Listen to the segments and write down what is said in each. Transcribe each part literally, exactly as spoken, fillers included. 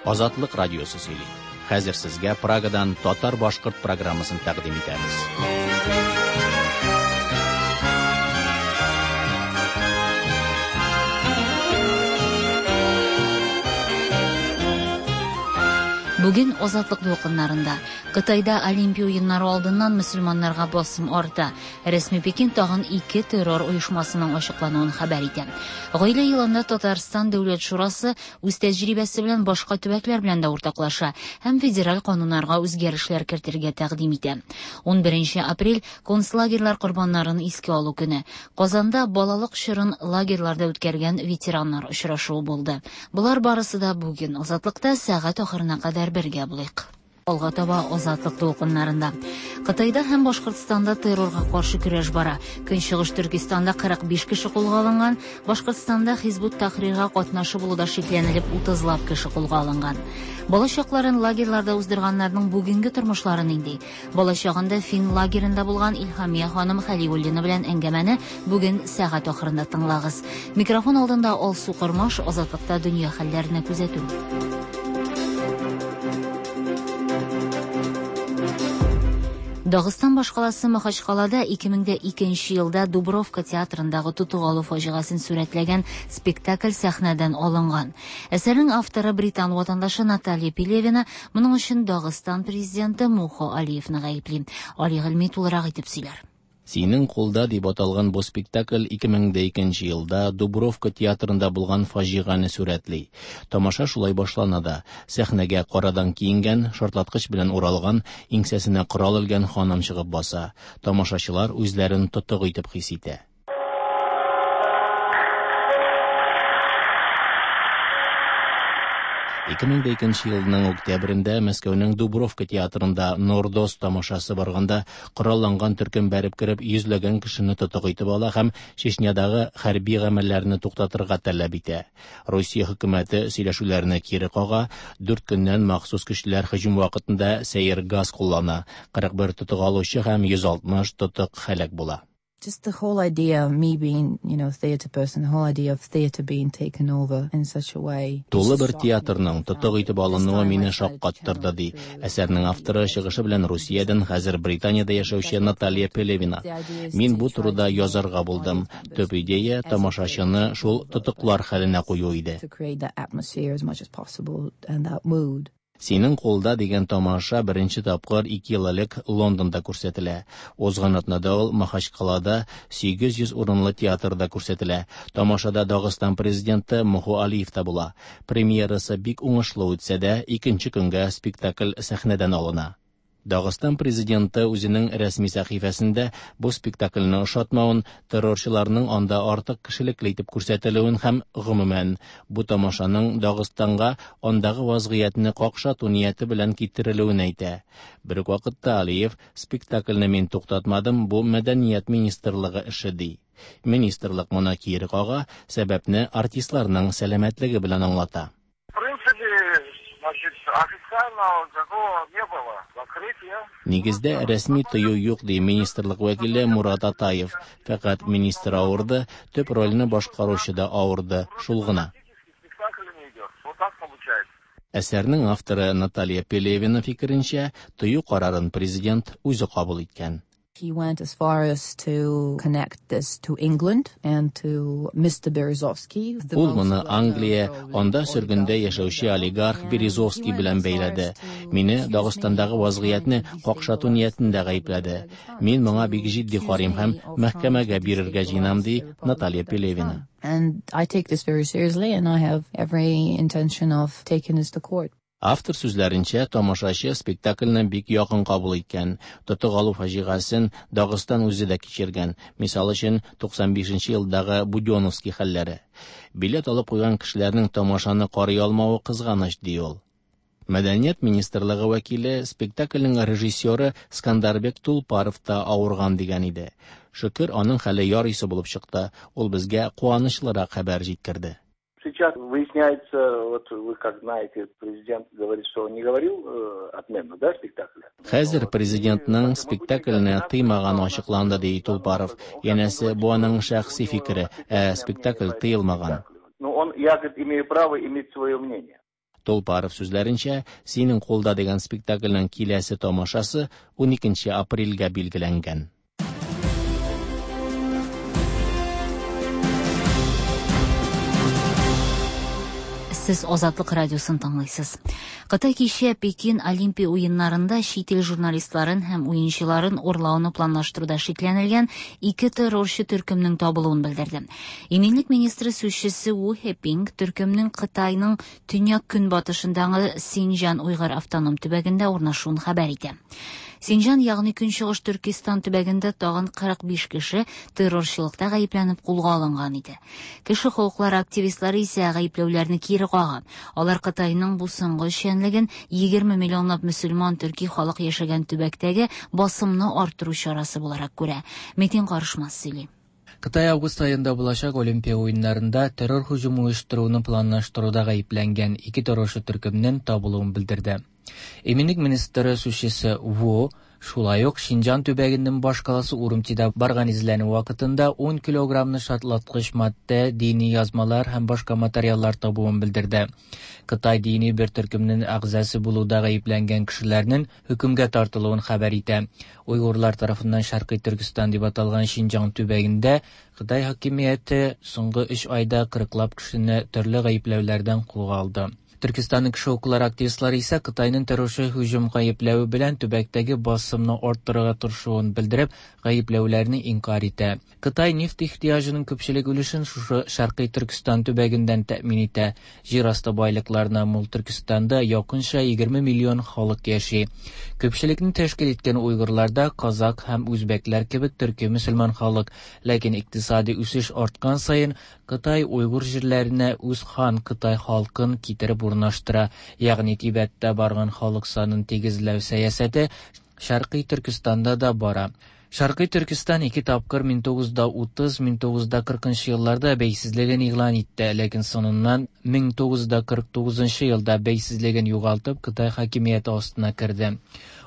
Азатлык радиосы сөйли. Хәзер сезгә Прагадан татар-башкорт программасын тәкъдим итәбез. Бүген Азатлык дулкыннарында Кытайда Олимпия уеннары алдыннан мөселманнарга басым арта. Рәсми Пекин тагын ике террор оешмасының ачыклануын хәбәр итә. Гаилә елында Татарстан Дәүләт Шурасы үз тәҗрибәсе белән башка төбәкләр белән дә уртаклаша һәм федераль кануннарга үзгәрешләр кертергә тәкъдим итә. унберенче апрель концлагерьлар корбаннарын искә алу көне. Казанда балалык чорын лагерьларда үткәргән ветераннар очрашуы булды. Болар барысы да бүген Азатлыкта сәгать ахырына кадәр бергә булыйк. Алга таба Азатлык дулкыннарында. Кытайда һәм Башкортстанда террорга каршы көрәш бара. Көнчыгыш Төркестанда кырык биш кеше кулга алынган, Башкортстанда Хизбут Тахрирга катнашы булуда шикләнелеп утызлап кеше кулга алынган. Балачакларын лагерьларда уздырганнарның бүгенге тормышлары нинди? Балачагында фин лагерында булган Илһамия ханым Хәлиуллина белән әңгәмәне бүген сәгать ахырында тыңлагыз. Микрофон алдында Алсу Кормаш, Азатлыкта дөнья хәлләренә күзәтү. Дагыстан башкаласы Махачкалада ике мең дә икенче елда Дубровка театрындагы тотык алу фаҗигасын сурәтләгән спектакль сәхнәдән алынган. Әсәрнең авторы британ ватандашы Наталья Пелевина моның өчен Дагыстан президенты Мухо Алиевны гаепли. Али Гыйльми тулырак итеп сөйләр. Синең кулда дип аталган бу спектакль ике мең дә икенче елда Дубровка театрында булган фаҗигане сурәтли. Тамаша шулай башлана да. Сәхнәгә карадан киенгән, шартлаткыч белән уралган, иңсәсенә корал элгән ханым чыгып баса. Тамашачылар үзләрен тотык итеп хис итә. Ике мең дә икенче елның октябрендә Мәскәүнең Дубровка театрында Нордост тамашасы барганда коралланган төркем бәреп кереп йөзләгән кешене тотык итеп ала һәм Чечнядагы хәрби гамәлләрне туктатырга таләп итә. Русия хөкүмәте сөйләшүләрне кире кага, дүрт көннән махсус көчләр һөҗүм вакытында сәер газ куллана. Кырык бер тотык алучы һәм йөз алтмыш тотык һәлак була. Just the whole idea of me being, you know, a theater person, the whole idea of theater being taken over in such a way. Тулы бер театрның тотык итеп алынуы мине шаккаттырды, ди. Әсәрнең авторы чыгышы белән Русиядән хәзер Британиядә яшәүче Наталья Пелевина. Мин бу турыда язарга булдым. Төп идея тамашачыны шул тотыклар хәленә кую иде. To create that atmosphere as much as possible and that mood. Синең кулда дигән тамаша беренче тапкыр ике ел элек Лондонда күрсәтелә. Узган атнада ул Махачкалада сигез йөз урынлы театрда күрсәтелә. Тамашада Дагыстан президенты Мухо Алиев та була. Премьерасы бик уңышлы үтсә дә, икенче көнгә спектакль сәхнәдән алына. Дагыстан президенты үзенең рәсми сәхифәсендә бу спектакльне ошатмавын, террорчыларның анда артык кешелекле итеп күрсәтелүен һәм гомумән бу тамашаның Дагыстанга андагы вазгыятьне какшату нияте белән китерелүен әйтә. Бер үк вакытта Алиев спектакльне мин туктатмадым, бу мәдәният министрлыгы эше ди. Министрлык моны кире кага, сәбәпне артистларның сәламәтлеге белән аңлата. Нигездә рәсми тыю юк, ди министрлык вәкиле Мурат Атаев. Фәкать министр авырды, төп рольне башкаручы да авырды, шул гына. Әсәрнең авторы Наталья Пелевина фикеренчә, тыю карарын президент үзе кабул иткән. He went as far as to connect this to England and to Mister Berezovsky, the Ул most моны well-known Англия, probably анда oligarch сөргендә in яшәүче Russia. олигарх And he Березовский went белән as far as бәйләде. to Мине accuse me Дагыстандагы of вазгыятьне trying to какшату destabilize ниятендә the гаепләде. Republic of Dagestan. Мин моңа To бик җитди accuse карыйм me һәм of trying to мәхкәмәгә бирергә destabilize җыенам, ди the Republic Наталья of Dagestan. Пелевина. And I take this very seriously and I have every intention of taking this to court. Автор сүзләренчә, тамашачы спектакльне бик якын кабул иткән. Тотык алу фаҗигасын Дагыстан үзе дә кичергән. Мисал өчен, туксан бишенче елдагы Будённовский хәлләре. Билет алып куйган кешеләрнең тамашаны карый алмавы кызганыч, ди ул. Мәдәният министрлыгы вәкиле спектакльнең режиссеры Скандарбек Тулпаров та авырган дигән иде. Шөкер, аның хәле ярыйсы булып чыкты. Ул безгә куанычлырак хәбәр җиткерде. Сейчас выясняется, вот вы как знаете, президент говорит, что он не говорил, э, отмену, да, спектакля? Хәзер президентның спектакльне тыймаганы ачыкланды, ди Тулпаров. Янәсе, бу аның шәхси фикере, ә спектакль тыелмаган. Ну, он, я, говорит, имею право иметь свое мнение. Толпаров сүзләренчә, «Синең кулда» дигән спектакльнең киләсе тамашасы уникенче апрельгә билгеләнгән. Сез Азатлык радиосын тыңлыйсыз. Кытай кичә Пекин Олимпия уеннарында чит ил журналистларын һәм уенчыларын урлауны планлаштыруда шикләнелгән ике террорчы төркемнең табылуын белдерде. Иминлек министры сүзчесе Ву Хепинг төркемнең Кытайның төньяк көнбатышындагы Синҗан уйгыр автоном төбәгендә урнашуын хәбәр итә. Синҗан, ягъни Көнчыгыш Төркистан төбәгендә тагын кырык биш кеше террорчылыкта гаепләнеп кулга алынган иде. Кеше хокуклары активистлары исә гаепләүләрне кире кага. Алар Кытайның бу соңгы эшчәнлеген егерме миллионлап мөселман төрки халык яшәгән төбәктәге басымны арттыру чарасы буларак күрә. Метин Карышмас сөйли. Кытай август айында булачак Олимпия уеннарында террор һөҗүме оештыруны планлаштыруда гаепләнгән ике террорчы төркемнең табылуын белдерде. Иминлек министры сүзчесе Ву шулай ук Шинҗан төбәгенең баш каласы Урумчида барган эзләнү вакытында ун килограммны шартлаткыч матдә, дини язмалар һәм башка материаллар табуын белдерде. Кытай дини бер төркемнең әгъзасы булуда гаепләнгән кешеләрнең хөкемгә тартылуын хәбәр итә. Уйгырлар тарафыннан Шәркый Төркестан дип аталган Шинҗан төбәгендә Кытай хакимияте соңгы өч айда кырыклап кешене төрле гаепләүләрдән кулга алды. Төркистанның кеше хокуклары активистлары исә Кытайның террорчы һөҗүм гаепләве белән төбәктәге басымны арттырырга тырышуын белдереп, гаепләүләрне инкар итә. Кытай нефть ихтыяҗының күпчелек өлешен шушы Шәркый Төркестан төбәгеннән тәэмин итә. Җир асты байлыкларына мул Төркестанда якынча егерме миллион халык яши. Күпчелекне тәшкил иткән уйгырларда казак һәм үзбәкләр кебек төрки мөселман халык, ләкин икътисади үсеш арткан саен Кытай уйгыр җирләренә үз хан Кытай халкын китереп урнаштыра, ягъни Тибеттә барган халык санын тигезләү сәясәте Шәркый Төркестанда да бара. Шәркый Төркестан ике тапкыр мең тугыз йөз утыз, мең тугыз йөз кыркынчы елларда бәйсезлеген игълан итте, ләкин соңыннан мең тугыз йөз кырык тугызынчы елда бәйсезлеген югалтып Кытай хакимияте астына керде.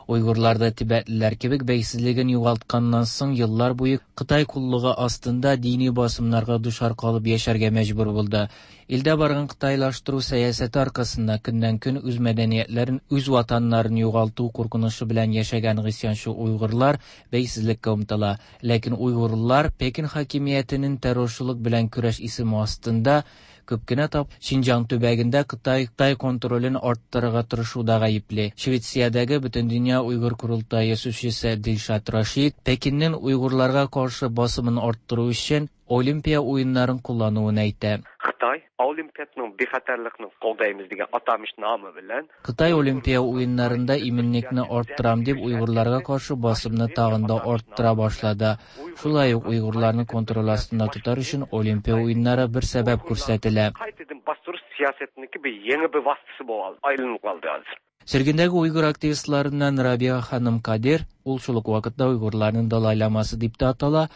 Уйгырлар да тибетлеләр кебек бәйсезлеген югалтканнан соң еллар буе Кытай куллыгы астында дини басымнарга дучар калып яшәргә мәҗбүр булды. Илдә барган кытайлаштыру сәясәте аркасында көннән-көн үз мәдәниятләрен, үз ватаннарын югалту куркынычы белән яшәгән гыйсьянчы уйгырлар бәйсезлеккә омтыла. Ләкин уйгырлар Пекин хакимиятенең террорчылык белән көрәш исеме астында күп кенә тап Шинҗан төбәгендә Кытай Кытай контролен арттырырга тырышуда гаепле. Швециядәге Бөтендөнья Уйгыр Корылтае сүзчесе Дилшат Рашид Пекиннең уйгырларга каршы басымын арттыру өчен Олимпия уеннарын куллануын әйтә. Xitoy Olimpiyaning bexatarlikni qo'llaymiz degan atamish nomi bilan Xitoy Olimpiya o'yinlarida iminlikni orttiram deb Uyg'urlarga qarshi bosimni tag'inda orttira boshladi. Shulay uq Uyg'urlarni kontrol ostida tutar uchun Olimpiya o'yinlari bir sabab ko'rsatila. Qaytadan bostirish siyosatniki bir yangi bir vositasi bo'lib aylanib qoldi hozir. Sürgündəgi Uyğur aktivistlarından Rabia xanım Kadir, ул шул ук вакытта Уйғурларның Далай-ламасы дип тә атала,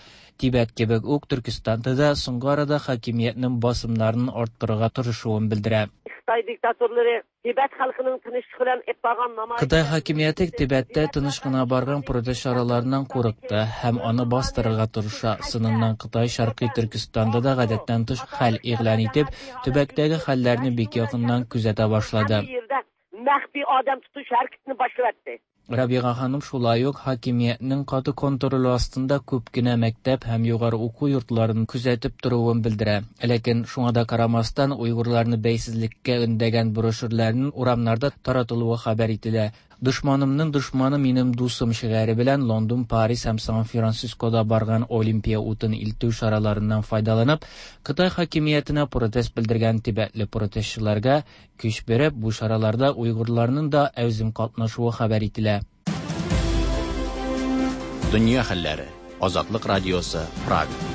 Тибет кебек үк Төркестанда да соңгы арада хакимиятның басымнарын арттырырга тырышуын белдерә. Xitoy diktatorlari Tibet xalqining tinchlik bilan ep bargan namoyish Xitoy хакимияте Тибеттә тыныч кына барган протест чараларыннан курыкты һәм аны бастырырга тырыша. Сыныннан Кытай Шәркый Төркестанда да гадәттән тыш хәл игълан итеп, төбәктәге хәлләрне бик якыннан күзәтә башлады. Məxfi adam tutuş hareketini başlattı. Рабиға ханым шулай ук хакимиятның каты контроле астында күп кенә мәктәп һәм югары уку йортларын күзәтеп торуын белдерә. Ләкин шуңа да карамастан уйгырларны бәйсезлеккә өндәгән брошюрларның урамнарда таратылуы хәбәр ителә. Дошманымның дошманы минем дусым шигаре белән Лондон, Париж һәм Сан-Францискода барган Олимпия утын илтү чараларыннан файдаланып, Кытай хакимиятенә протест белдергән тибетле протестчыларга көч биреп, бу чараларда уйгырларның да әүзем катнашуы хәбәр ителә. Дөнья хәлләре. Азатлык радиосы, Прага.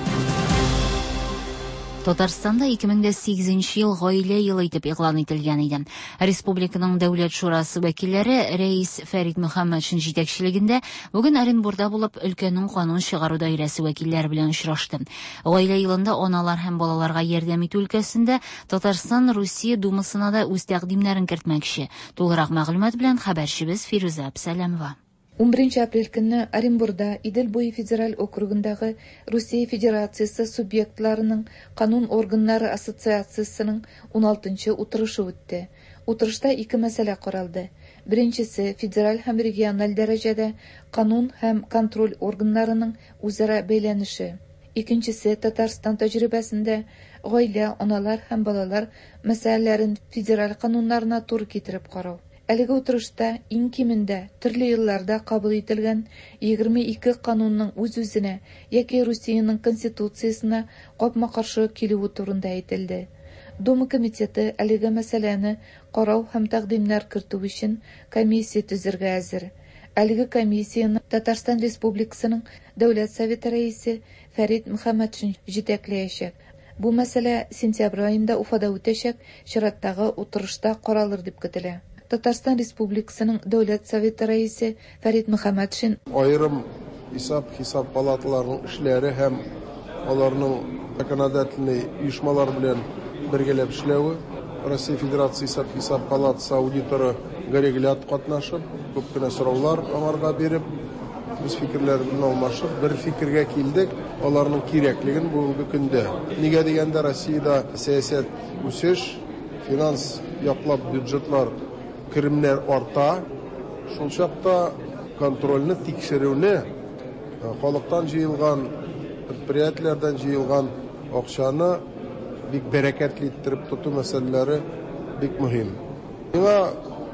Татарстанда ике мең дә сигезенче ел гаилә елы итеп игълан ителгән иде. Республиканың Дәүләт шурасы вәкилләре рәис Фәрит Мөхәммәтшин җитәкчелегендә бүген Оренбурда булып өлкәнең канун чыгару даирәсе вәкилләре белән очрашты. Гаилә елында аналар һәм балаларга ярдәм итү өлкәсендә Татарстан Русия Думасына да үз тәкъдимнәрен кертмәкче. Тулырак мәгълүмат белән хәбәрчебез Фирүзә Әбсәләмова. он беренче апрель көнне Оренбурда Идел буе федераль округындагы Русия Федерациясе субъектларының канун органнары ассоциациясының ун алтынчы утырышы үтте. Утырышта ике мәсьәлә каралды. Беренчесе федераль һәм региональ дәрәҗәдә канун һәм контроль органнарының үзара бәйләнеше. Икенчесе Татарстан тәҗрибәсендә гаилә, аналар һәм балалар мәсьәләләрен федераль кануннарына туры китереп карау. Әлеге утырышта иң кимендә төрле елларда кабул ителгән егерме ике канунның үз-үзенә яки Русиянең конституциясенә капма-каршы килүе турында әйтелде. Дума комитеты әлеге мәсьәләне карау һәм тәкъдимнәр кертү өчен комиссия төзергә әзер. Әлеге комиссияне Татарстан Республикасының Дәүләт Советы рәисе Фәрит Мөхәммәтшин җитәкләячәк. Бу мәсьәлә сентябрь аенда Уфада үтәчәк чираттагы утырышта каралыр дип көтелә. Татарстан Республикасының Дәүләт Советы рәисе Фәрит Мөхәммәтшин аерым исәп-хисап палаталарының эшләре һәм аларның законодательный оешмалар белән бергәләп эшләве, Россия Федерация исәп-хисап палатасы аудиторы Гареглят катнашып, күп кенә сораулар аңарга биреп, без фикерләр белән алмашып, бер фикергә килдек, аларның кирәклеген бүгенге көндә. Нигә дигәндә, Россиядә сәясәт үсеш, финанс яклап бюджетлар, керемнәр арта, шул чакта контрольне, тикшерүне, халыктан җыелган, предприятиеләрдән җыелган акчаны бик бәрәкәтле иттереп тоту мәсьәләләре бик мөһим. Миңа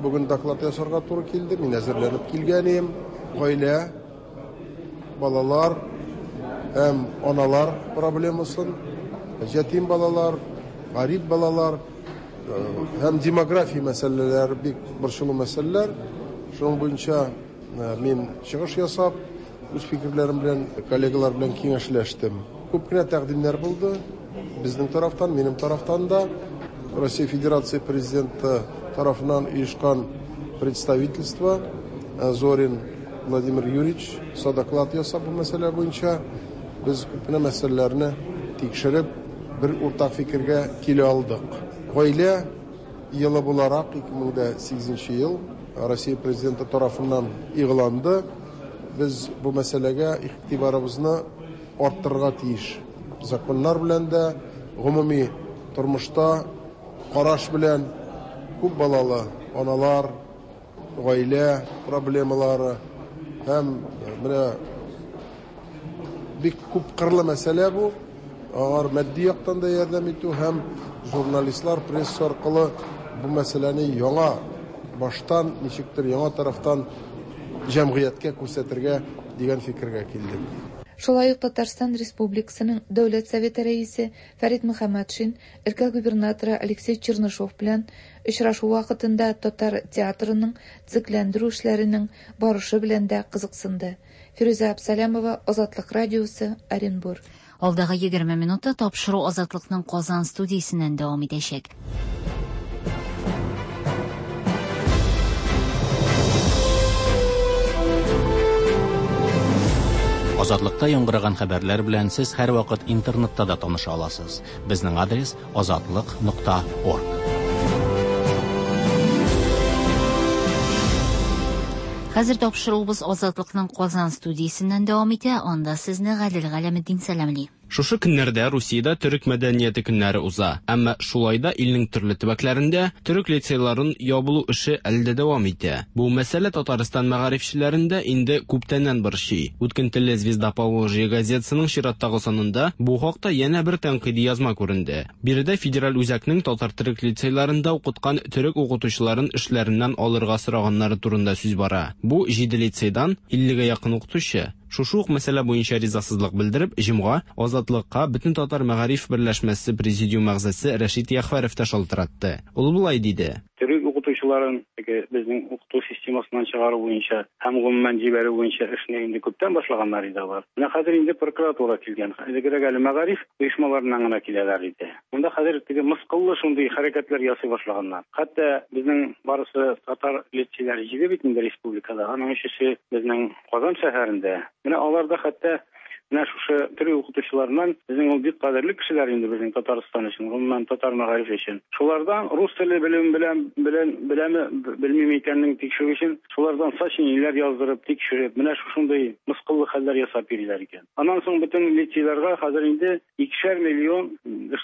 бүген доклад ясарга туры килде, мин әзерләнеп килгән идем. Гаилә, балалар һәм аналар проблемасын, ятим балалар, гарип балалар һәм демография мәсьәләләре бик борчулы мәсьәләләр. Шуның буенча мин чыгыш ясап, үз фикерләрем белән, коллегалар белән киңәшләштем. Күп кенә тәкъдимнәр булды. Безнең тарафтан, минем тарафтан да Россия Федерация президенты тарафыннан оешкан представительство Зорин Владимир Юрьевич доклад ясап бу мәсьәлә буенча без күп кенә мәсьәләләрне тикшереп бер уртак фикергә килә алдык. Гаилә елы буларак ике мең дә сигезенче ел Россия президенты тарафыннан игъланды. Без бу мәсьәләгә игътибарыбызны арттырырга тиеш. Законнар белән дә, гомуми тормышта караш белән күп балалы аналар, гаилә проблемалары һәм менә бик күп кырлы мәсьәлә бу. Алар матди яктан да ярдәм итү һәм журналистлар, пресса аркылы бу мәсьәләне яңа баштан, ничектер яңа тарафтан җәмгыятькә күрсәтергә дигән фикергә килдек. Шулай ук Татарстан Республикасының Дәүләт Советы рәисе Фәрит Мөхәммәтшин өлкә губернаторы Алексей Чернышов белән очрашу вакытында татар театрының төзекләндерү эшләренең барышы белән дә кызыксынды. Фирүзә Абсалямова, Азатлык радиосы, Оренбург. Алдагы егерме минутта тапшыру Азатлыкның Казан студиясеннән дәвам итәчәк. Азатлыкта яңгыраган хәбәрләр белән сез һәрвакыт интернетта да таныша аласыз. Безнең адрес азатлык нокта орг. Хәзер тапшыруыбыз Азатлыкның Казан студиясеннән дәвам итә. Анда сезне Гадел Галәметдин сәламли. Шушы көннәрдә Русиядә төрек мәдәнияте көннәре уза. Әмма шулай да илнең төрле төбәкләрендә төрек лицейларын ябылу эше әле дә дәвам итә. Бу мәсьәлә Татарстан мәгарифчеләрендә инде күптәннән борчый. Үткен телле Звезда Поволжья газетасының чираттагы санында бу хакта янә бер тәнкыйди язма күренде. Биредә федераль үзәкнең татар төрек лицейларында укыткан төрек укытучыларын эшләреннән алырга сораганнары турында сүз бара. Бу җиде лицейдан иллегә якын укытучы. Шушы ук мәсьәлә буенча ризасызлык белдереп, җомга Азатлыкка бөтен татар мәгариф берләшмәсе президиум әгъзасы Рәшит Яхвәров та шалтыратты. Ул болай диде: Төрек укытучыларын теге безнең укыту системасыннан чыгару буенча һәм гомумән җибәрү буенча эшне инде күптән башлаганнар иде алар. Менә хәзер инде прокуратура килгән. Элегрәк әле мәгариф оешмаларыннан гына киләләр иде. Монда хәзер теге мыскыллы шундый хәрәкәтләр ясый башлаганнар. Хәтта безнең барысы татар лицейлары җиде бит инде республикада. Аның өчесе безнең Казан шәһәрендә. Менә алар да хәтта Менә шушы төрек укытучыларыннан безнең ул бик кадерле кешеләр инде безнең Татарстан өчен, гомумән татар мәгарифе өчен. Шулардан рус теле белем белән белән беләме белмиме икәнен тикшерү өчен шулардан сочинениеләр яздырып, тикшереп, менә шушындый мыскыллы хәлләр ясап йөриләр икән. Аннан соң бөтен лицейларга хәзер инде икешәр миллион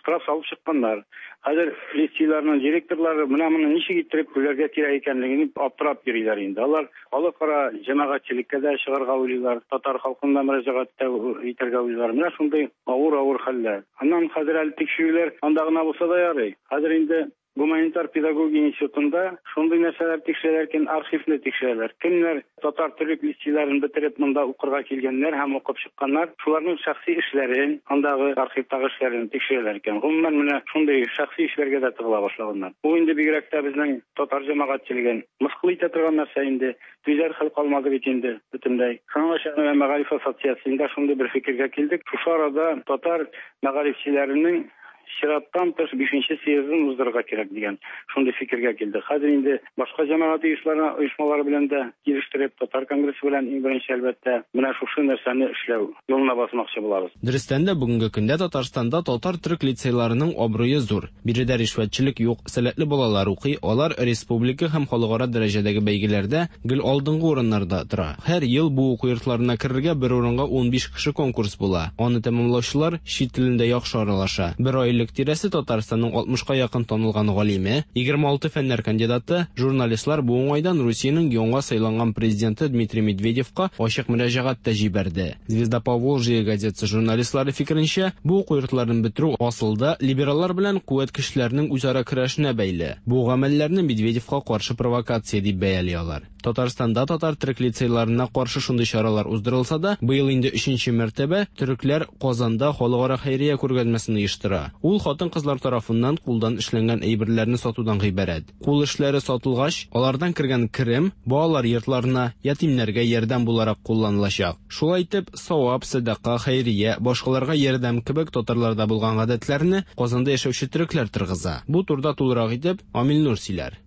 штраф салып чыкканнар. Хәзер лицейларның директорлары менә моны ничек иттереп түләргә кирәк икәнлеген аптырап йөриләр инде. Алар халыкара җәмәгатьчелеккә дә чыгарга уйлыйлар, татар халкына мөрәҗәгать итәргә уйлыйлар. Менә шундый авыр-авыр хәлләр. Аннан хәзер әле тикшерүләр анда гына булса да ярый. Хәзер инде гуманитар педагогия институтында шундый нәрсәләр тикшерәләр икән, архивны тикшерәләр. Кемнәр татар төрек лицейларын бетереп монда укырга килгәннәр һәм укып чыкканнар, шуларның шәхси эшләрен, андагы архивтагы эшләрен тикшерәләр икән. Гомумән менә шундый шәхси эшләргә дә тыгыла башлаганнар. Бу инде бигрәк тә безнең татар җәмәгатьчелеген мыскыл итә торган нәрсә инде. Түзәр хәл калмады бит инде бөтенләй. Шуңа күрә мәгариф ассоциациясендә шундый бер фикергә килдек. Шушы арада татар мәгарифчеләренең чираттан тыш бишенче съездын уздырырга кирәк дигән шундый фикергә килдек. Хәзер инде башка җәмәгать оешмалары белән дә килештереп, татар конгрессы белән иң беренче әлбәттә менә шушы нәрсәне эшләү юлына басмакчы булабыз. Дөрестән дә бүгенге көндә Татарстанда татар-төрек лицейларының абруе зур. Биредә ришвәтчелек юк, сәләтле балалар укый, алар республика һәм халыкара дәрәҗәдәге бәйгеләрдә гел алдынгы урыннарда тора. Һәр ел бу уку йортларына керергә бер урынга унбиш кеше конкурс була. Аны тәмамлаучылар чит телендә яхшы аралаша. Бер ай элек тирәсе Татарстанның алтмышка якын танылган галиме, егерме алты фәннәр кандидаты, журналистлар бу уңайдан Русиянең яңа сайланган президенты Дмитрий Медведевка ачык мөрәҗәгать тә җибәрде. Звезда Поволжья газетасы журналистлары фикеренчә, бу уку йортларын бетерү асылда либераллар белән куәт көчләренең үзара көрәшенә бәйле. Бу гамәлләрне Медведевка каршы провокация дип бәяли алар. Татарстанда татар төрек лицейларына каршы шундый чаралар уздырылса да, быел инде өченче мәртәбә төрекләр Казанда халыкара хәйрия күргәзмәсен оештыра. Ул хатын-кызлар тарафыннан кулдан эшләнгән әйберләрне сатудан гыйбарәт. Кул эшләре сатылгач, алардан кергән керем балалар йортларына, ятимнәргә ярдәм буларак кулланылачак. Шулай итеп, савап, садака, хәйрия, башкаларга ярдәм кебек татарларда булган гадәтләрне Казанда яшәүче төрекләр торгыза. Бу турыда тулырак итеп Амил Нур сөйләр.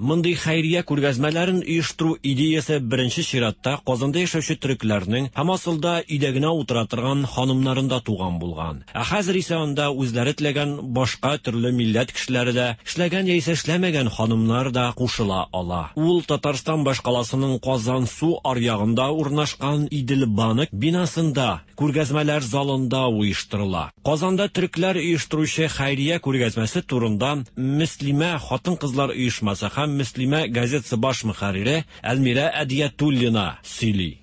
Мондый хәйрия күргәзмәләрен оештыру идеясы беренче чиратта Казанда яшәүче төрекләрнең һәм асылда өйдә генә утыра торган ханымнарында туган булган. Ә хәзер исә анда үзләре теләгән башка төрле милләт кешеләре дә, эшләгән яисә эшләмәгән ханымнар да кушыла ала. Ул Татарстан башкаласының Казан су аръягында урнашкан Идел банк бинасында, күргәзмәләр залында оештырыла. Казанда төрекләр оештыручы хәйрия күргәзмәсе турында Мөслимә хатын-кызлар оешмасы һәм Мөслимә газетасы баш мөхәррире Әлмирә Әдиятуллина сөйли.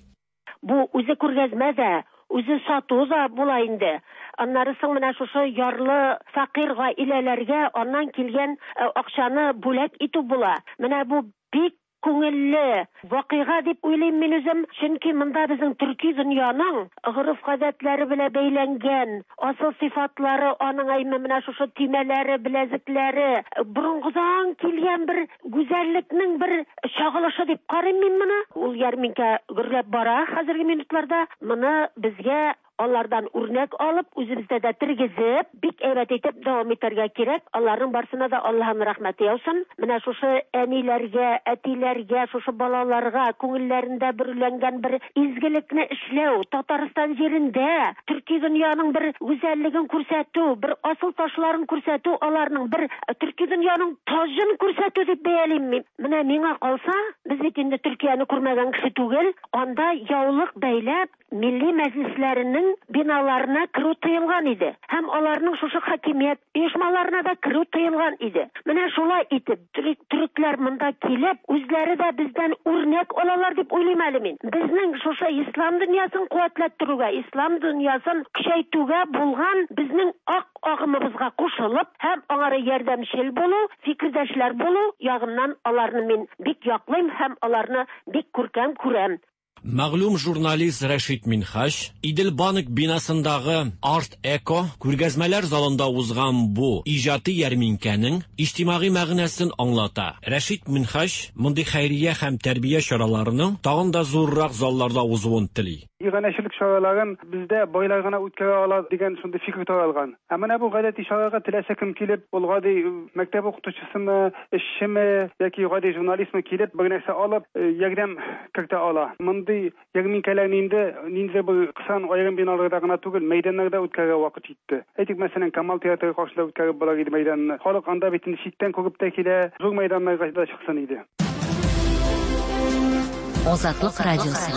Бу үзе күргәзмә дә, үзе сату да була инде. Аннары соң менә шушы ярлы фәкыйрь гаиләләргә аннан килгән акчаны бүләк итү була. Менә бу бик күңелле вакыйга дип уйлыйм мин үзем, чөнки монда безнең төрки дөньяның гореф-гадәтләре белән бәйләнгән асыл сыйфатлары, аның әйме менә шушы төймәләре, беләзекләре, борынгыдан килгән бер гүзәллекнең бер чагылышы дип карыйм мин моны. Ул ярминкә гөрләп бара хәзерге минутларда. Моны безгә алардан үрнәк алып, үзебездә дә тергезеп, бик әйбәт итеп дәвам итәргә кирәк. Аларның барсына да Аллаһның рәхмәте яусын. Менә шушы әниләргә, әтиләргә, шушы балаларга күңелләрендә бөреләнгән бер изгелекне эшләү, Татарстан җирендә төрки дөньяның бер гүзәллеген күрсәтү, бер асыл ташларын күрсәтү, аларның бер төрки дөньяның таҗын күрсәтү дип бәялим мин. Менә миңа калса, без бит инде Төркияне күрмәгән кеше түгел, анда яулык бәйләп милли мәҗлесләренең биналарына керү тыелган иде. Һәм аларның шушы хакимият оешмаларына да керү тыелган иде. Менә шулай итеп төрекләр монда килеп, үзләре дә бездән үрнәк алалар дип уйлыйм әле мин. Безнең шушы ислам дөньясын куәтләттерүгә, ислам дөньясын көчәйтүгә булган безнең ак агымыбызга кушылып һәм аңара ярдәмчел булу, фикердәшләр булу ягыннан аларны мин бик яклыйм һәм аларны бик күркәм күрәм. Мәгълүм журналист Рәшит Минһаҗ Идел банк бинасындагы Арт Эко күргәзмәләр залында узган бу иҗади ярминкәнең иҗтимагый мәгънәсен аңлата. Рәшит Минһаҗ мондый хәйрия һәм тәрбия чараларының тагын да зуррак залларда узуын тели. Иганәчелек чараларын бездә байлар гына үткәрә ала дигән шундый фикер таралган. Ә менә бу гадәти чарага теләсә кем килеп, ул гади мәктәп укытучысымы, эшчеме яки гади журналистмы килеп, бер нәрсә алып, ярдәм кертә ала. Мондый Мондый ярминкәләрне инде ниндидер бер кысан аерым биналарда гына түгел, мәйданнарда үткәрергә вакыт җитте. Әйтик, мәсәлән, Камал театры каршында үткәреп була иде мәйданны. Халык анда бит инде читтән күреп тә килә, зур мәйданнарга да чыксын иде. Азатлык радиосы.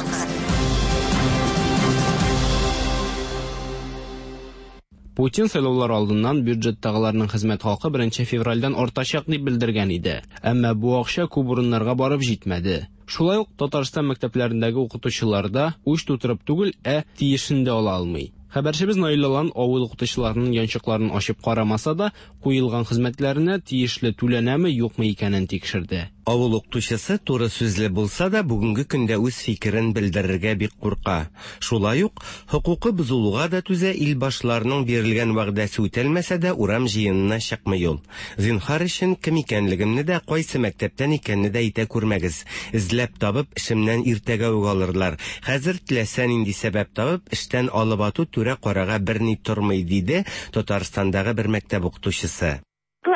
Путин сайлаулар алдыннан бюджеттагыларның хезмәт хакы беренче февральдән артачак дип белдергән иде. Әмма бу акча күп урыннарга барып җитмәде. Шулай ук Татарстан мәктәпләрендәге укытучылар да уч тутырып түгел, ә тиешен дә ала алмый. Хәбәрчебез Наил Алан авыл укытучыларының янчыкларын ачып карамаса да, куелган хезмәтләренә тиешле түләнәме, юкмы икәнен тикшерде. Авыл укытучысы туры сүзле булса да, бүгенге көндә үз фикерен белдерергә бик курка. Шулай ук хокукы бозылуга да түзә, ил башларының бирелгән вәгъдәсе үтәлмәсә дә урам җыенына чыкмый ул. Зинһар өчен кем икәнлегемне дә, кайсы мәктәптән икәнне дә әйтә күрмәгез. Эзләп табып, эшемнән иртәгә үк алырлар. Хәзер теләсә нинди сәбәп табып, эштән алып ату түрә карага берни тормый, диде Татарстандагы бер мәктәп укытучысы.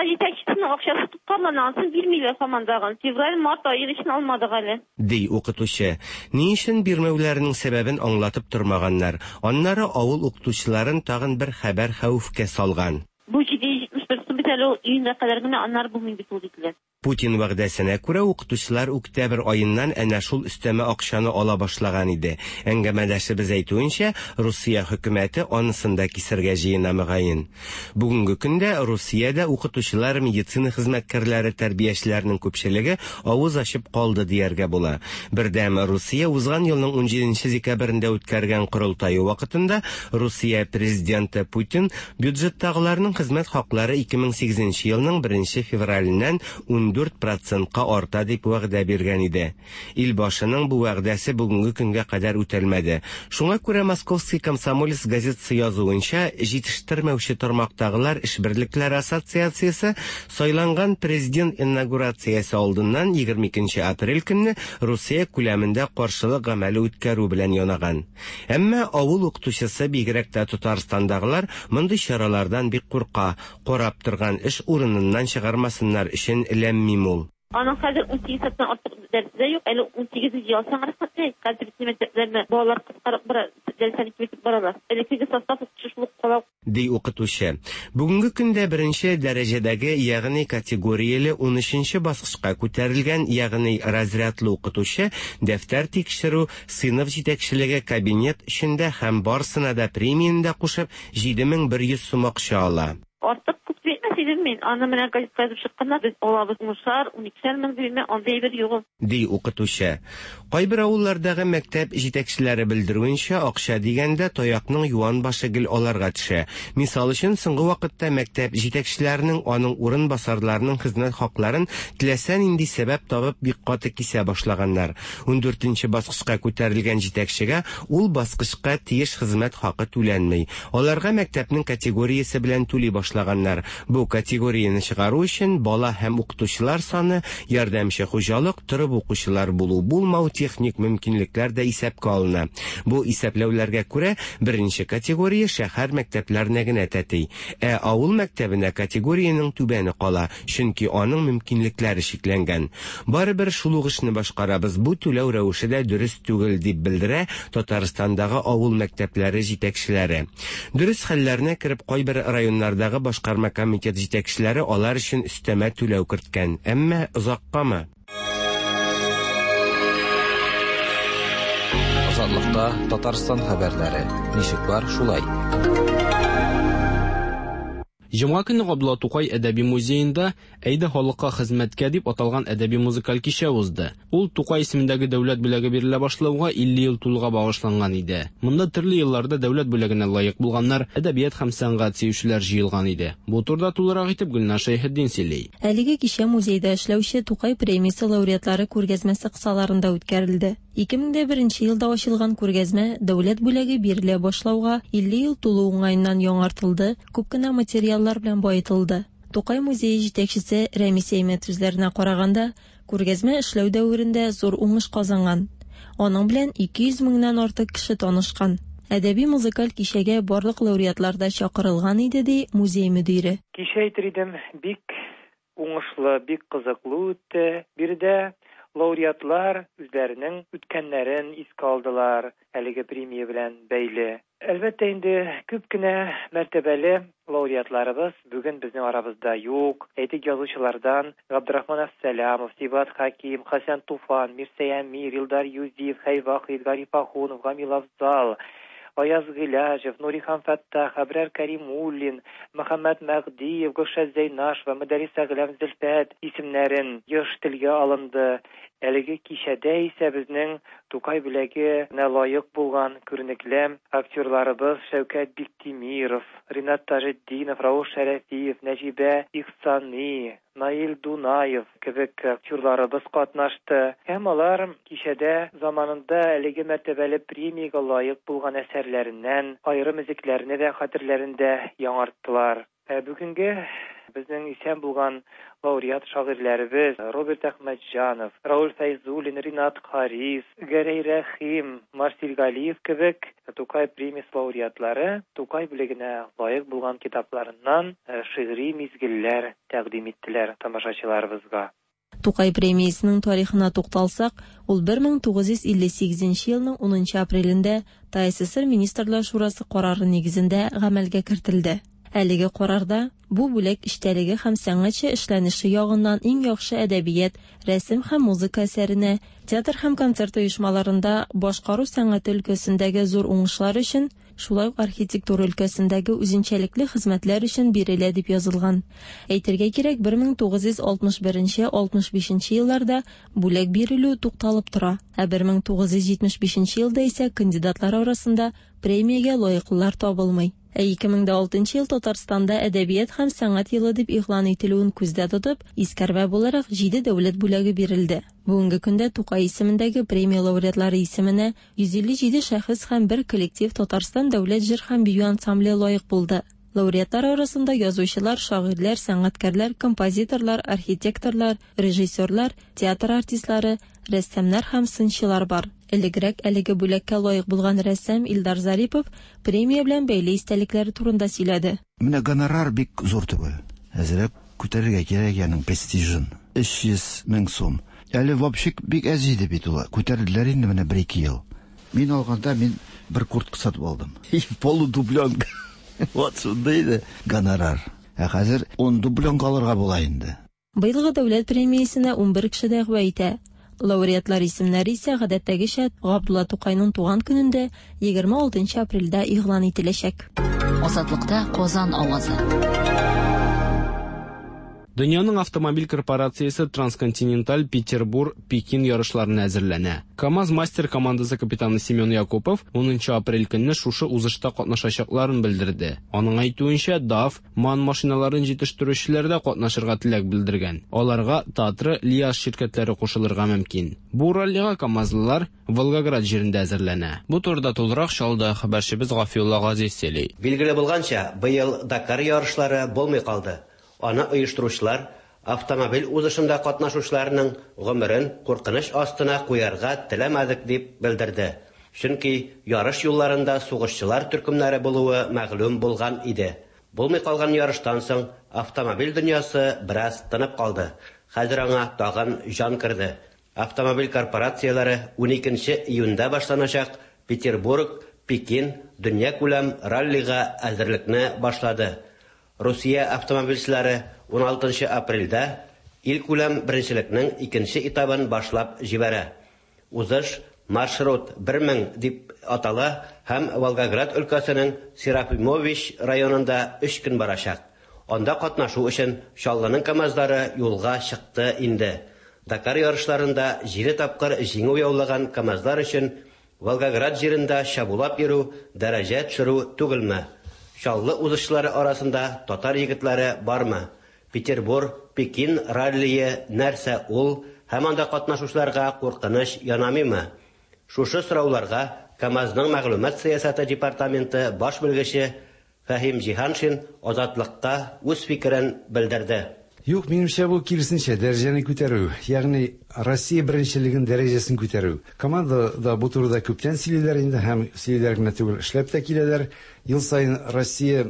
Җитәкчесенең акчасы тоткарлана, ансын бирмиләр һаман. Февраль, март ае өчен алмадык әле. Ди укытучы. Ни өчен бирмәүләренең сәбәбен аңлатып тормаганнар. Аннары авыл укытучыларын тагын бер хәбәр хәвефкә салган. Бу җиде йөз җитмеш бер сум бит әле ул июньгә кадәр генә, аннары булмый бит ул диделәр. Путин вәгъдәсенә күрә укытучылар октябрь аеннан әнә шул өстәмә акчаны ала башлаган иде. Әңгәмәдәшебез әйтүенчә, Русия хөкүмәте анысын да кисергә җыена мөгаен. Бүгенге көндә Русиядә укытучылар, медицина хезмәткәрләре, тәрбиячеләрнең күпчелеге авыз ачып калды дияргә була. Бердәм Русия узган елның унҗиденче декабрендә үткәргән корылтае вакытында Русия президенты Путин бюджеттагыларның хезмәт хаклары ике мең сигезенче елның беренче февраленнән ун дүрт процентка арта дип вәгъдә биргән иде. Ил башының бу вәгъдәсе бүгенге көнгә кадәр үтәлмәде. Шуңа күрә Московский комсомолец газетасы язуынча, җитештермәүче тармактагылар эш берлекләре ассоциациясе сайланган президент инаугурациясе алдыннан егерме икенче апрель көнне Русия күләмендә каршылык гамәле үткәрү белән янаган. Әмма авыл укытучысы, бигрәк тә Татарстандагылар, мондый чаралардан бик курка, карап торган эш урыныннан чыгармасыннар өчен ләм-мим ул. Аның хәзер ун сигез сәгатьтән артык дәресе дә юк, әле ун сигез ялсаң рәхмәт. Хәзер бит мәктәпләрдә балалар кыскарып бара, дәресләрне киметеп баралар. Элеккеге состав укытучы шул ук кала, ди укытучы. Бүгенге көндә беренче дәрәҗәдәге, ягъни категорияле ун өченче баскычка күтәрелгән, ягъни разрядлы укытучы дәфтәр тикшерү, сыйныф җитәкчелеге, кабинет эчендә һәм барысына да премияне дә кушып җиде мең бер йөз сум акча ала. Артык күп бирмәс идем мин. Аны менә газетка язып чыкканнар, без алабыз унышар, уникешәр мең дим, андый әйбер юк. Ди укытучы. Кайбер авыллардагы мәктәп җитәкчеләре белдерүенчә, акча дигәндә таякның юан башы гел аларга төшә. Мисал өчен, соңгы вакытта мәктәп җитәкчеләренең, аның урын басарларының хезмәт хакларын теләсә нинди сәбәп табып бик каты кисә башлаганнар. ун дүртенче баскычка күтәрелгән җитәкчегә ул баскычка тиеш хезмәт хакы түләнми. Аларга мәктәпнең категориясе белән түли башлаганнар. Бу категорияне чыгару өчен бала һәм укытучылар саны, ярдәмче хуҗалык, торып укучылар булу, булмау, техник мөмкинлекләр дә исәпкә алына. Бу исәпләүләргә күрә беренче категория шәһәр мәктәпләренә генә тәти. Ә авыл мәктәбенә категориянең түбәне кала, чөнки аның мөмкинлекләре чикләнгән. Барыбер шул ук эшне башкарабыз, бу түләү рәвеше дә дөрес түгел, дип белдерә Татарстандагы авыл мәктәпләре җитәкчеләре. Дөрес хәлләренә кереп кайбер районнардагы башкарма комитет җитәкчеләре алар өчен өстәмә түләү керткән. Әмма озаккамы? Азатлыкта Татарстан хәбәрләре. Ничек бар, шулай. Җомга көне Габдулла Тукай әдәби музеенда Әйдә халыкка хезмәткә дип аталган әдәби музыкаль кичә узды. Ул Тукай исемендәге дәүләт бүләге бирелә башлауга илле ел тулуга багышланган иде. Монда төрле елларда дәүләт бүләгенә лаек булганнар, әдәбият һәм сәнгать сөючеләр җыелган иде. Бу турыда тулырак итеп Гөлнар Шәйхетдин сөйли. Әлеге кичә музейда эшләүче Тукай премиясе лауреатлары күргәзмәсе кысаларында үткәрелде. ике мең дә беренче елда ачылган күргәзмә дәүләт бүләге бирелә башлауга илле ел тулу уңаеннан яңартылды, күп кенә материаллар белән баетылды. Тукай музее җитәкчесе Рәмис Әймәт сүзләренә караганда, күргәзмә эшләү дәверендә зур уңыш казанган. Аның белән ике йөз меңнән артык кеше танышкан. Әдәби музыкаль кичәгә барлык лауреатлар да чакырылган иде, ди музей мөдире. Кичә әйтер идем, бик уңышлы, бик кызыклы үтте. Биредә Лауреатлар үзләренең үткәннәрен искә алдылар, әлеге премия белән бәйле. Әлбәттә инде күп кенә мәртәбәле лауреатларыбыз бүген безнең арабызда юк. Әйтик, язучылардан Габдрахман Әфсәләмов, Сибгат Хәким, Хәсән Туфан, Мирсәй Әмир, Илдар Юзиев, Хәй Вахит, Гариф Ахунов, Гамил Афзал, Аяз Гыйләҗев, Нурихан Фәттах, Әбрар Кәримуллин, Мөхәммәт Мәгъдиев, Гөлшат Зәйнашева, Мөдәррис Әгъләм Зөлфәт исемнәрен еш телгә алынды. Әлеге кичәдә исә безнең Тукай бүләгенә лаек булган күренекле актерларыбыз Шәүкәт Биктимиров, Ринат Таҗетдинов, Рауф Шәрәфиев, Нәҗибә Ихсани, Наил Дунаев кебек актерларыбыз катнашты. Һәм алар кичәдә заманында әлеге мәртәбәле премиягә лаек булган әсәрләреннән аерым өзекләрне дә хәтерләрендә яңарттылар. Ә бүгенге безнең исән булган лауреат шагыйрьләребез Роберт Әхмәтҗанов, Рауль Фәйзуллин, Ринат Харис, Гәрәй Рәхим, Марсил Галиев кебек Тукай премиясе лауреатлары Тукай бүләгенә лаек булган китапларыннан шигъри мизгелләр тәкъдим иттеләр тамашачыларыбызга. Тукай премиясенең тарихына тукталсак, ул бер мең тугыз йөз илле сигезенче елның унынчы апрелендә ТАССР Министрлар Шурасы карары нигезендә гамәлгә кертелде. Әлеге карарда бу бүләк эчтәлеге һәм сәнгатьчә эшләнеше ягыннан иң яхшы әдәбият, рәсем һәм музыка әсәренә, театр һәм концерт оешмаларында башкару сәнгате өлкәсендәге зур уңышлар өчен, шулай ук архитектура өлкәсендәге үзенчәлекле хезмәтләр өчен бирелә дип язылган. Әйтергә кирәк, бер мең тугыз йөз алтмыш беренче алтмыш бишенче елларда бүләк бирелү тукталып тора, ә бер мең тугыз йөз җитмеш бишенче елда исә кандидатлар арасында премиягә лаеклылар табылмый. Ә ике мең дә алтынчы ел Татарстанда әдәбият һәм сәнгать елы дип игълан ителүен күздә тотып, искәрмә буларак җиде дәүләт бүләге бирелде. Бүгенге көндә Тукай исемендәге премия лауреатлары исеменә йөз илле җиде шәхес һәм бер коллектив Татарстан дәүләт җыр һәм бию ансамбле лаек булды. Лауреатлар арасында язучылар, шагыйрьләр, сәнгатькәрләр, композиторлар, архитекторлар, режиссерлар, театр артистлары, рәссамнар һәм сынчылар бар. Элегрәк әлеге бүләккә лаек булган рәссам Илдар Зарипов премия белән бәйле истәлекләре турында сөйләде. Менә гонорар бик зур түгел. Әзрәк күтәрергә кирәк аның престижын. Өч йөз мең сум. Әле вообще бик әз иде бит ул. Күтәрделәр инде менә бер-ике ел. Мин алганда мин бер куртка сатып алдым. Полудубленка. Вот шундый иде гонорар. Ә хәзер ун дубленка алырга була инде. Быелгы дәүләт премиясенә ун бер кеше дәгъва итә. Лауреатлар исемнәре исә гадәттәгечә Габдулла Тукайның туган көнендә егерме алтынчы апрельдә игълан ителәчәк. Азатлыкта Казан авазы. Дөньяның автомобиль корпорациясе Трансконтиненталь Петербург Пекин ярышларына әзерләнә. КАМАЗ мастер командасы капитаны Семен Якупов унынчы апрель көнне шушы узышта катнашачакларын белдерде. Аның әйтүенчә, ДАФ, МАН машиналарын җитештерүчеләр дә катнашырга теләк белдергән. Аларга Татра, Лиаз ширкәтләре кушылырга мөмкин. Бу раллига КАМАЗлылар Волгоград җирендә әзерләнә. Бу турыда тулырак Чаллыда хәбәрчебез Гафиулла Газиз сөйли. Билгеле булганча, быел Дакар ярышлары булмый калды. Аны оештыручылар автомобиль узышында катнашучыларның гомерен куркыныч астына куярга теләмәдек дип белдерде. Чөнки ярыш юлларында сугышчылар төркемнәре булуы мәгълүм булган иде. Булмый калган ярыштан соң автомобиль дөньясы бераз тынып калды. Хәзер аңа тагын җан керде. Автомобиль корпорацияләре уникенче июньдә башланачак Петербург, Пекин дөнья күләм раллига әзерлекне башлады. Русия автомобильчеләре уналтынчы апрельдә ил күләм беренчелекнең икенче этабын башлап җибәрә. Узыш маршрут бер мең дип атала һәм Волгоград өлкәсенең Серафимович районында өч көн барачак. Анда катнашу өчен Чаллының КАМАЗлары юлга чыкты инде. Дакар ярышларында җиде тапкыр җиңү яулаган КАМАЗлар өчен Волгоград җирендә чабулап йөрү дәрәҗә төшерү түгелме? Чаллы узышлары арасында татар егетләре бармы? Петербург, Пекин раллие нәрсә ул һәм анда катнашучыларга куркыныч янамыймы? Шушы сорауларга КАМАЗның мәгълүмат сәясәте департаменты баш белгече Фәһим Җиһаншин Азатлыкка үз фикерен белдерде. Юк, минемчә бу киресенчә дәрәҗәне күтәрү, ягъни Россия беренчелеген дәрәҗәсен күтәрү. Командада бу турыда күптән сөйлиләр инде һәм сөйлиләр генә түгел, эшләп тә киләләр. Ел саен Россия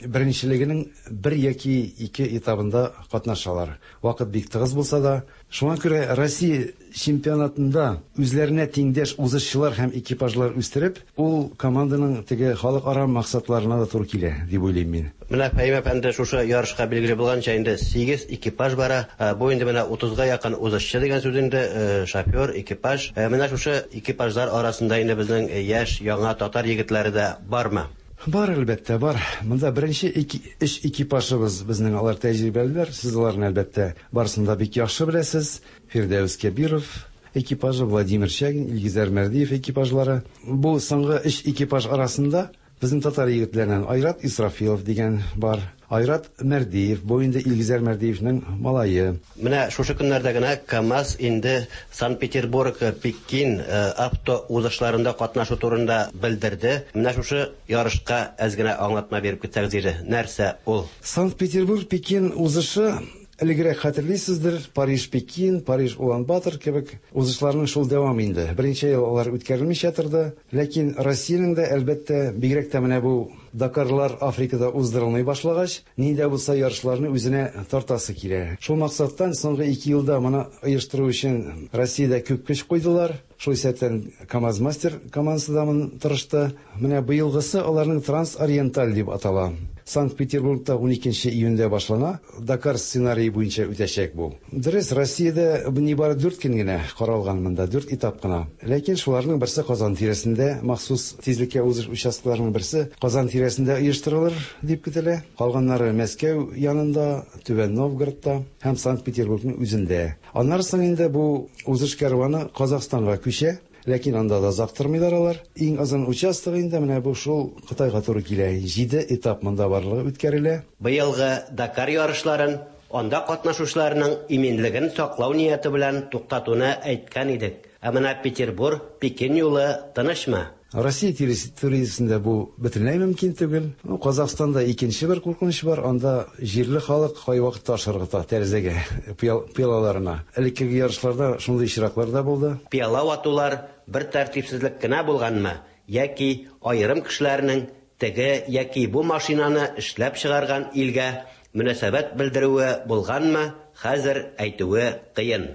беренчелегенең бер яки ике этабында катнашалар. Вакыт бик тыгыз булса да, шуңа күрә Россия чемпионатында үзләренә тиңдәш узышчылар һәм экипажлар үстереп, ул команданың теге халыкара максатларына да туры килә дип уйлыйм мин. Менә Фәһим әфәнде, шушы ярышка билгеле булганча инде сигез экипаж бара. Бу инде менә утызга якын узышчы дигән сүз инде, шофер, экипаж. Менә шушы экипажлар арасында инде безнең яшь, яңа татар егетләре дә бармы? Бар, әлбәттә, бар. Монда беренче өч экипажыбыз безнең, алар тәҗрибәлеләр. Сез аларны әлбәттә барысын да бик яхшы беләсез. Фирдәүс Кәбиров экипажы, Владимир Чагин, Илгизәр Мәрдиев экипажлары. Бу соңгы өч экипаж арасында безнең татар егетләреннән Айрат Исрафилов дигән бар. Айрат Мәрдиев, бу инде Илгизәр Мәрдиевнең малае. Менә шушы көннәрдә генә КАМАЗ инде Санкт-Петербург, Пекин авто узышларында катнашу турында белдерде. Менә шушы ярышка әз генә аңлатма биреп китсәгез иде. Нәрсә ул? Санкт-Петербург, Пекин узышы элегрәк хәтерлисездер, Париж-Пекин, Париж-Улан-Батор кебек узышларның шул дәвамы инде. Берничә ел алар үткәрелмичә торды, ләкин Россиянең дә әлбәттә, бигрәк тә менә бу Дакарлар Африкада уздырылмый башлагач, нинди дә булса ярышларны үзенә тартасы килә. Шул максаттан соңгы ике елда моны оештыру өчен Россиядә күп көч куйдылар. Шул исәптән КАМАЗ-мастер командасы да моны тырышты. Менә быелгысы аларның Трансориенталь дип атала. Санкт-Петербургта ун икенче июньдә башлана. Дакар сценарие буенча үтәчәк бу. Дөрес, Россиядә нибары дүрт көн генә каралган монда, дүрт этап кына. Ләкин шуларның берсе Казан тирәсендә, махсус тизлеккә узыш участокларының берсе Казан тирәсендә оештырылыр дип көтелә. Калганнары Мәскәү янында, Түбән Новгородта һәм Санкт-Петербургның үзендә. Аннары соң инде бу узыш кәрваны Казахстанга күчә. Ләкин анда да озак тормыйлар алар. Иң озын участогы инде менә бу шул Кытайга туры килә. Җиде этап монда барлыгы үткәрелә. Быелгы Дакар ярышларын анда катнашучыларның иминлеген саклау нияте белән туктатуны әйткән идек. Ә менә Петербург, Пекин юлы тынычмы? Россия территориясендә бу бөтенләй мөмкин түгел. Казахстанда икенче бер куркыныч бар. Анда җирле халык кайвакыт таш ыргыта тәрәзәгә, пыялаларына. Элеккеге ярышларда шундый очраклар да булды. Пыяла ватулар бер тәртипсезлек кенә булганмы, яки аерым кешеләрнең теге яки бу машинаны эшләп чыгарган илгә мөнәсәбәт белдерүе булганмы, хәзер әйтүе кыен.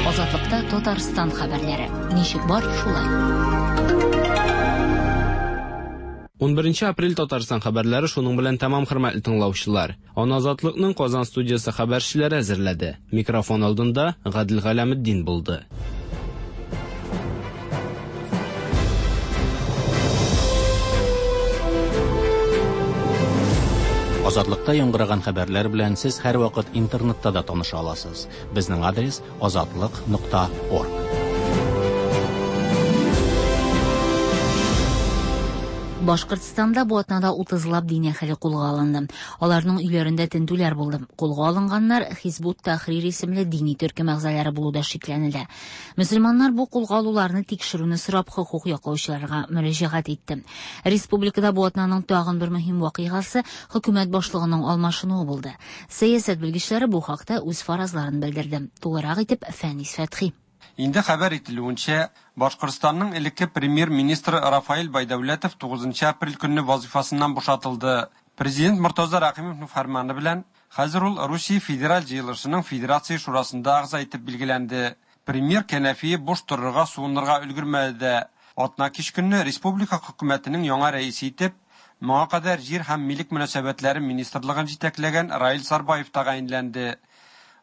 Азатлыкта Татарстан хәбәрләре. Ничек бар, шулай. ун беренче апрель Татарстан хәбәрләре шуның белән тәмам, хөрмәтле тыңлаучылар. Аны Азатлыкның Казан студиясе хәбәрчеләре әзерләде. Микрофон алдында Гадел Галәметдин булды. Азатлыкта яңгыраган хәбәрләр белән сез һәрвакыт интернетта да таныша аласыз. Безнең адрес азатлык нокта орг. Башкортстанда бу атнада утызлап дин әһеле кулга алынды. Аларның өйләрендә тентүләр булды. Кулга алынганнар Хизбут Тахрир исемле дини төркем әгъзалары булуда шикләнелә. Мөселманнар бу кулга алуларны тикшерүне сорап хокук яклаучыларга мөрәҗәгать итте. Республикада бу атнаның тагын бер мөһим вакыйгасы хөкүмәт башлыгының алмашынуы булды. Сәясәт белгечләре бу хакта үз фаразларын белдерде. Тулырак итеп Фәнис Фәтхи. Инде хәбәр ителүенчә, Башкортстанның элекке премьер-министры Рафаэль Байдәүләтов тугызынчы апрель көнне вазифасыннан бушатылды. Президент Мортаза Рәхимовның фәрманы белән хәзер ул Русия Федераль җыелышының Федерация шурасында әгъза итеп билгеләнде. Премьер кәнәфие буш торырга, суынырга өлгермәде дә. Атна кич көнне республика хөкүмәтенең яңа рәисе итеп моңа кадәр җир һәм милек мөнәсәбәтләре министрлыгын җитәкләгән Раил Сарбаев тәгаенләнде.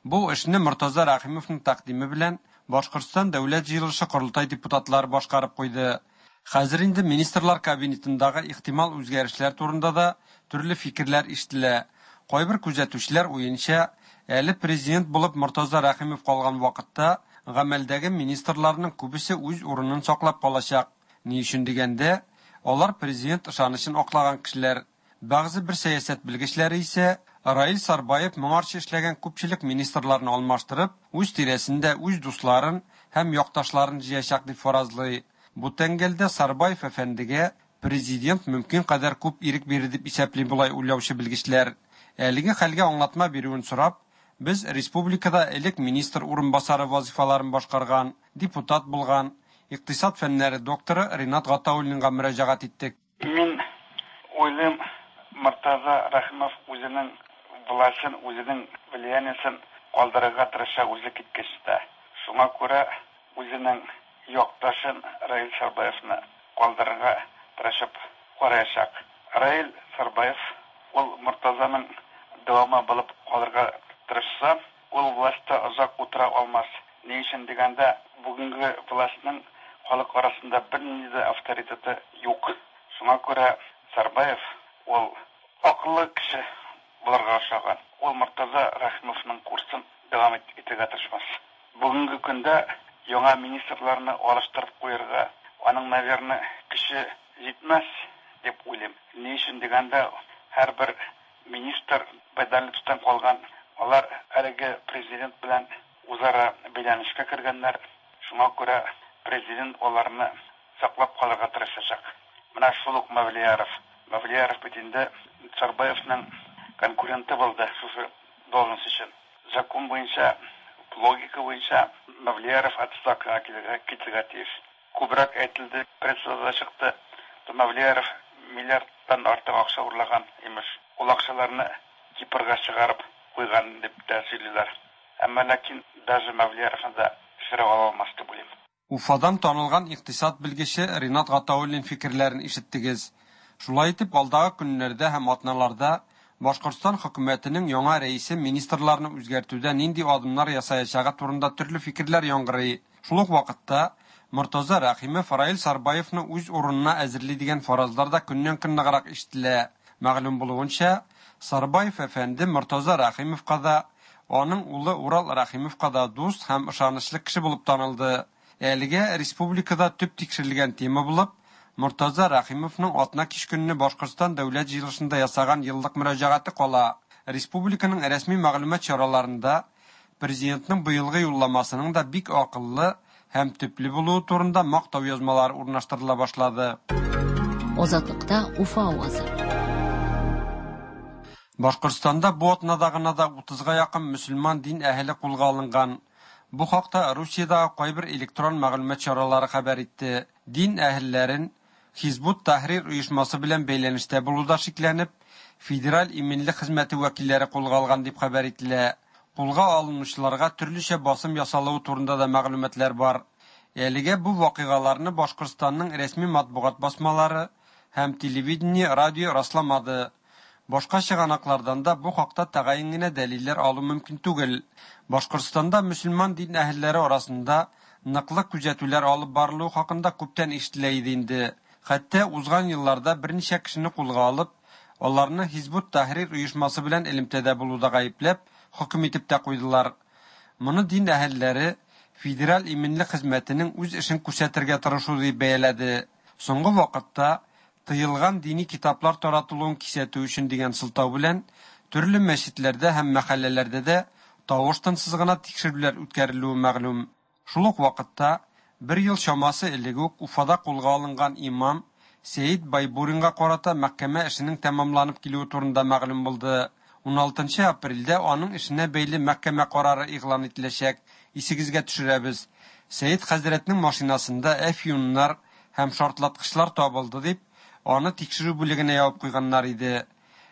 Бу эшне Мортаза Рәхимовның тәкъдиме белән Башкортстан Дәүләт җыелышы корылтай депутатлары башкарып куйды. Хәзер инде министрлар кабинетындагы ихтимал үзгәрешләр турында да төрле фикерләр ишетелә. Кайбер күзәтүчеләр уенча, әле президент булып Мортаза Рәхимов калган вакытта гамәлдәге министрларның күбесе үз урынын саклап калачак. Ни өчен дигәндә, алар президент ышанычын аклаган кешеләр. Бәгъзе бер сәясәт белгечләре исә Раил Сарбаев моңарчы эшләгән күпчелек министрларны алмаштырып, үз тирәсендә үз дусларын һәм якташларын җыячак дип фаразлый. Бу тәңгәлдә Сарбаев әфәндегә президент мөмкин кадәр күп ирек бирер дип исәпли болай уйлаучы белгечләр. Әлеге хәлгә аңлатма бирүен сорап, без республикада элек министр урынбасары вазифаларын башкарган, депутат булган, икътисад фәннәре докторы Ринат Гатауллинга мөрәҗәгать иттек. Мин уйлыйм, Мортаза Рәхимов үзенең властен, үзенең влияниесен калдырырга тырыша үзе киткәч тә. Шуңа күрә үзенең якташын Раил Сарбаевны калдырырга тырышып караячак. Раил Сарбаев ул Мортазаның дәвамы булып калырга тырышса, ул властьта озак утыра алмас. Ни өчен дигәндә, бүгенге властьның халык арасында бернинди дә авторитеты юк. Шуңа күрә Сарбаев ул акыллы кеше булырга охшаган. Ул Мортаза Рәхимовның курсын дәвам итәргә тырышмас. Бүгенге көндә яңа министрларны алыштырып куярга аның, наверное, көче җитмәс дип уйлыйм. Ни өчен дигәндә, һәрбер министр Байдаловтан калган, алар әлеге президент белән үзара бәйләнешкә кергәннәр. Шуңа күрә президент аларны саклап калырга тырышачак. Менә шул ук Мавлияров. Мавлияров бит инде Сарбаевның конкуренты булды шушы должность өчен. Закон буенча, логика буенча Мавлияров отставкага китәргә китәргә тиеш. Күбрәк әйтелде, прессада чыкты. Мавлияров миллиардтан артык акча урлаган имеш. Ул акчаларны Кипрга чыгарып куйган дип тә сөйлиләр. Әмма ләкин даже Мавлияровны да төшерә ала алмас дип уйлыйм. Уфадан танылган икътисад белгече Ринат Гатауллин фикерләрен ишеттегез. Шулай итеп, алдагы көннәрдә һәм атналарда Башкортстан хөкүмәтенең яңа рәисе министрларны үзгәртүдә нинди адымнар ясаячагы турында төрле фикерләр яңгырый. Шул ук вакытта Мортаза Рәхимов Раил Сарбаевны үз урынына әзерли дигән фаразлар да көннән-көн ныграк ишетелә. Мәгълүм булуынча, Сарбаев әфәнде Мортаза Рәхимовка да, аның улы Урал Рәхимовка да дус һәм ышанычлы кеше булып танылды. Әлегә республикада төп тикшерелгән тема булып, Мортаза Рәхимовның атна кич көнне Башкортстан дәүләт җыелышында ясаган еллык мөрәҗәгате кала. Республиканың рәсми мәгълүмат чараларында президентның быелгы юлламасының да бик акыллы һәм төпле булуы турында мактау язмалары урнаштырыла башлады. Азатлыкта Уфа авазы. Башкортстанда бу атнада гына да утызга якын мөселман дин әһеле кулга алынган. Бу хакта Русиядәге кайбер электрон мәгълүмат чаралары хәбәр итте. Дин әһелләрен Хизбут Тахрир оешмасы белән бәйләнештә булуда шикләнеп, Федераль иминлек хезмәте вәкилләре кулга алган дип хәбәр ителә. Кулга алынучыларга төрлечә басым ясалуы турында да мәгълүматлар бар. Әлегә бу вакыйгаларны Башкортстанның рәсми матбугат басмалары һәм телевидение, радио расламады. Башка чыганаклардан да бу хакта тәгаен генә дәлилләр алу мөмкин түгел. Башкортстанда мөселман дин әһелләре арасында ныклы күзәтүләр алып барылуы хакында күптән ишетелә иде инде. Хәтта узган елларда берничә кешене кулга алып, аларны Хизбут Тахрир оешмасы белән элемтәдә булуда гаепләп, хөкем итеп тә куйдылар. Моны дин әһелләре Федераль иминлек хезмәтенең үз эшен күрсәтергә тырышу дип бәяләде. Соңгы вакытта тыелган дини китаплар таратылуын кисәтү өчен дигән сылтау белән төрле мәчетләрдә һәм мәхәлләләрдә дә тавыш-тынсыз гына тикшерүләр үткәрелүе мәгълүм. Шул ук вакытта бер ел чамасы элек үк Уфада кулга алынган имам Сәид Байбуринга карата мәхкәмә эшенең тәмамланып килүе турында мәгълүм булды. Уналтынчы апрельдә аның эшенә бәйле мәхкәмә карары игълан ителәчәк. Исегезгә төшерәбез. Сәид хәзрәтнең машинасында әфьюннар һәм шартлаткычлар табылды дип, аны тикшерү бүлегенә ябып куйганнар иде.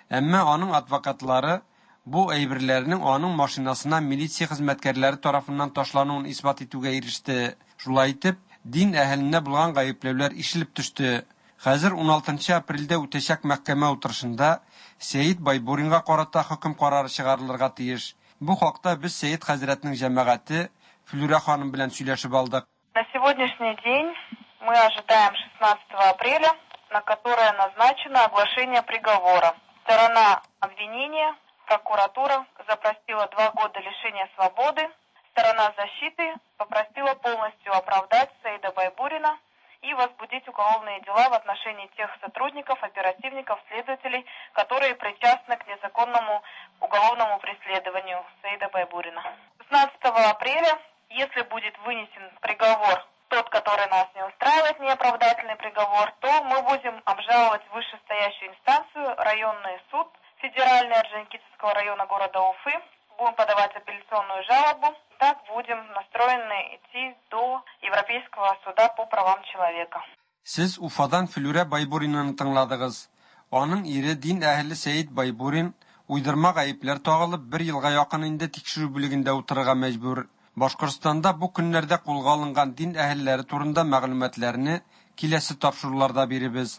Әмма аның адвокатлары бу әйберләрнең аның машинасына милиция хезмәткәрләре тарафыннан ташлануын исбат итүгә иреште. Шулай итеп, дин әһеленә булган гаепләүләр ишелеп төште. Хәзер уналтынчы апрельдә үтәчәк мәхкәмә утырышында Сәид Байбуринга карата хөкем карары чыгарылырга тиеш. Бу хакта без Сәид хәзрәтнең җәмәгате Флюра ханым белән сөйләшеп алдык. На сегодняшний день мы ожидаем шестнадцатого апреля, на которое назначено оглашение приговора. Сторона обвинения, прокуратура, запросила два года лишения свободы. Сторона защиты попросила полностью оправдать Саида Байбурина и возбудить уголовные дела в отношении тех сотрудников, оперативников, следователей, которые причастны к незаконному уголовному преследованию Саида Байбурина. шестнадцатого апреля, если будет вынесен приговор, тот, который нас не устраивает, неоправдательный приговор, то мы будем обжаловать вышестоящую инстанцию, районный суд Федеральный Орджоникидзевского района города Уфы. Будем подавать апелляционную жалобу. Так будем настроены идти до Европейского суда по правам человека. Сез Уфадан Флүрә Байбуринаны тыңладыгыз. Аның ире дин әһеле Сәид Байбурин уйдырма гаепләр тагылып бер елга якын инде тикшерү бүлегендә утырырга мәҗбүр. Башкортстанда бу көннәрдә кулга алынган дин әһелләре турында мәгълүматларны киләсе тапшыруларда биребез.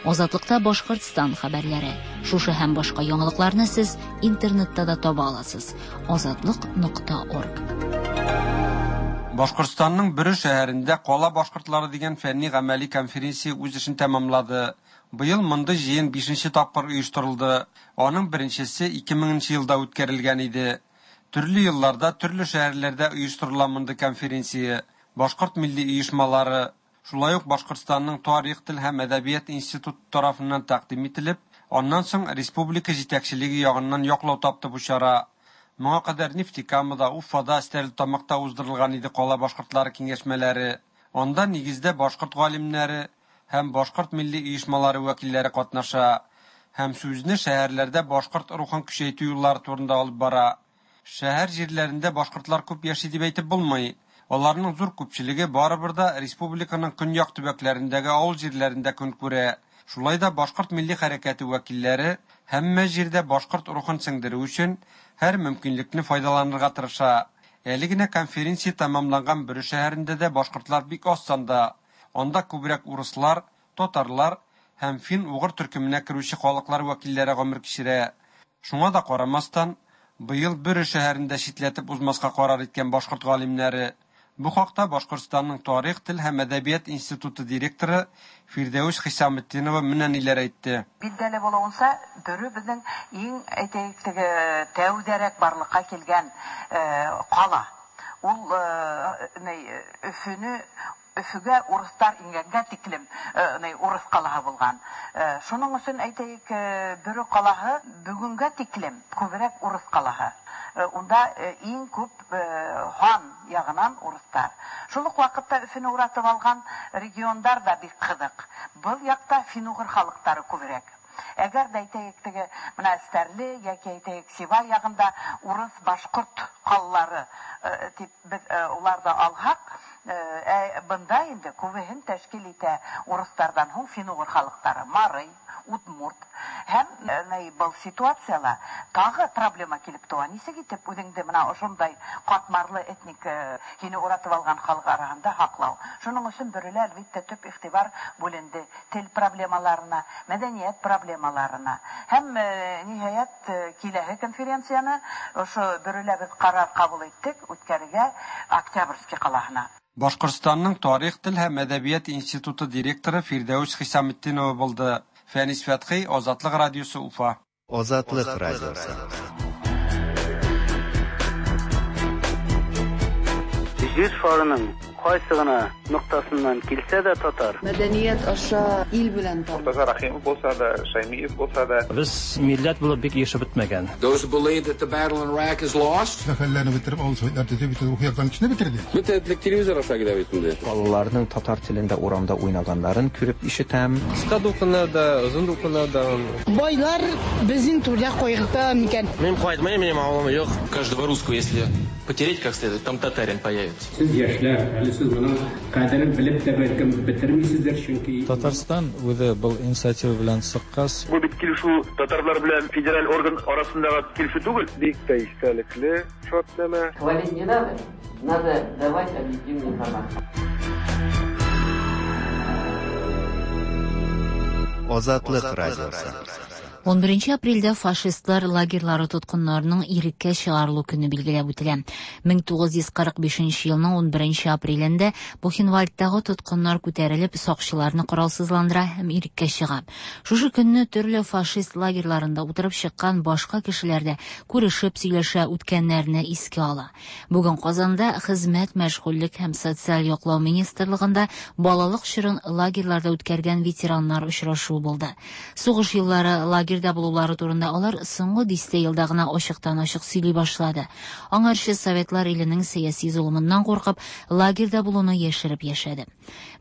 Азатлыкта Башкортстан хәбәрләре. Шушы һәм башка яңалыкларны сез интернетта да таба аласыз. Азатлык нокта орг. Башкортстанның Бөре шәһәрендә Кала башкортлары дигән фәнни гамәли конференция үз эшен тәмамлады. Быел мондый җыен бишенче тапкыр оештырылды. Аның беренчесе ике меңенче елда үткәрелгән иде. Төрле елларда төрле шәһәрләрдә оештырыла мондый конференция. Башкорт милли оешмалары, шулай ук Башкортстанның тарих, тел һәм әдәбият институты тарафыннан тәкъдим ителеп, аннан соң республика җитәкчелеге ягыннан яклау тапты бу чара. Моңа кадәр Нефтекамада, Уфада, Стәрлетамакта уздырылган иде кала башкортлары киңәшмәләре. Анда нигездә башкорт галимнәре һәм башкорт милли оешмалары вәкилләре катнаша һәм сүзне шәһәрләрдә башкорт рухын көчәйтү юллары турында алып бара. Шәһәр җирләрендә башкортлар күп яши дип әйтеп булмый. Аларның зур күпчелеге барыбер да республиканың көньяк төбәкләрендәге авыл җирләрендә көн күрә. Шулай да башкорт милли хәрәкәте вәкилләре һәммә җирдә башкорт рухын сеңдерү өчен һәр мөмкинлекне файдаланырга тырыша. Әле генә конференция тәмамланган Бөре шәһәрендә дә башкортлар бик аз санда. Анда күбрәк урыслар, татарлар һәм фин-угыр төркеменә керүче халыклар вәкилләре гомер кичерә. Шуңа да карамастан, быел Бөре шәһәрендә читләтеп узмаска карар иткән башкорт галимнәре. Бу хакта Башкортстанның тарих, тел һәм әдәбият институты директоры Фирдәүс Хисаметдинова менә ниләр әйтте. Билгеле булуынча, Бөре безнең иң әйтәйек теге тәүдәрәк барлыкка килгән кала. Ул Өфөнө Өфөгә урыслар ингәнгә тиклем урыс калаһы булган. Шуның өчен әйтәйек, Бөре калаһы бүгенгә тиклем күбрәк урыс калаһы. Унда иң күп хан ягынан урыслар. Шул ук вакытта Өфөнө уратып алган региондар да бик кызык. Был якта фин-угыр халыклары күбрәк. Әгәр дә әйтәйек теге менә Стәрле яки әйтәйек Сибай ягында урыс башкорт каллары дип без уларда алһак, бында инде күбеһен тәшкил итә урыслардан һуң фин-угыр халыклары, марый, удмурт. Һәм был ситуацияла тагы проблема килеп туа. Нисек итеп үзеңде менә ошондай катмарлы этник һине уратып алган халык араһында һаклау. Шуның өчен Бөрелә әлбиттә төп игътибар бүленде тел проблемаларына, мәдәният проблемаларына. Һәм ниһаять киләһе конференцияне ошо Бөрелә без карар кабул иттек үткәрергә Октябрьский калаһына. Башкортстанның тарих, тел һәм әдәбият институты директоры Фирдәүс Хисаметдинова булды. Фәнис Фәтхи, Азатлык радиосы, Уфа. Азатлык радиосы. Җир шарының кайсы гына ноктасыннан килсә дә татар. Мәдәният аша ил белән таныш. Мортаза Рахимов булса да, Шаймиев булса да. Без милләт булып бик яшәп бетмәгән. Those who believe that the battle in Iraq is lost. Сәфәрләрне бетереп, авыл советлар төзеп, бөтен рухи яктан кешене бетерде. Бөтен телевизор аша килә бит инде. Балаларның татар телендә урамда уйнаганнарын күреп ишетәм. Кыска дулкыннарда, озын дулкыннарда. Байлар безнең түрдә кайгырта микән? Мин кайтмыйм, минем авылым юк. Каждого русского, если потереть как следует, там татарин появится. Сез яшьләр, әле сез моның кадерен белеп тә бәлкем бетермисездер, чөнки Татарстан үзе был инициатива белән чыккач. Бу бит килешү татарлар белән федераль орган арасындагы килешү түгел. Бик тә истәлекле шартнамә. Хвалить не надо, надо давать объективную информацию. Азатлык радиосы. он беренче апрельдә фашистлар лагерьлары тоткыннарының иреккә чыгарылу көне билгеләп үтелә. мең тугыз йөз кырык бишенче елның он беренче апрелендә Бухенвальдтагы тоткыннар күтәрелеп, сакчыларны коралсызландыра һәм иреккә чыга. Шушы көнне төрле фашист лагерьларында утырып чыккан башка кешеләр дә күрешеп сөйләшә, үткәннәрне искә ала. Бүген Казанда Хезмәт, мәшгульлек һәм социаль яклау министрлыгында балалык чорын лагерьларда үткәргән ветераннар очрашуы булды. Сугыш еллары лагерьда булулары турында алар соңгы дистә елда гына ачыктан-ачык сөйли башлады. Аңарчы Советлар иленең сәяси золымыннан куркып, лагерьда булуны яшереп яшәде.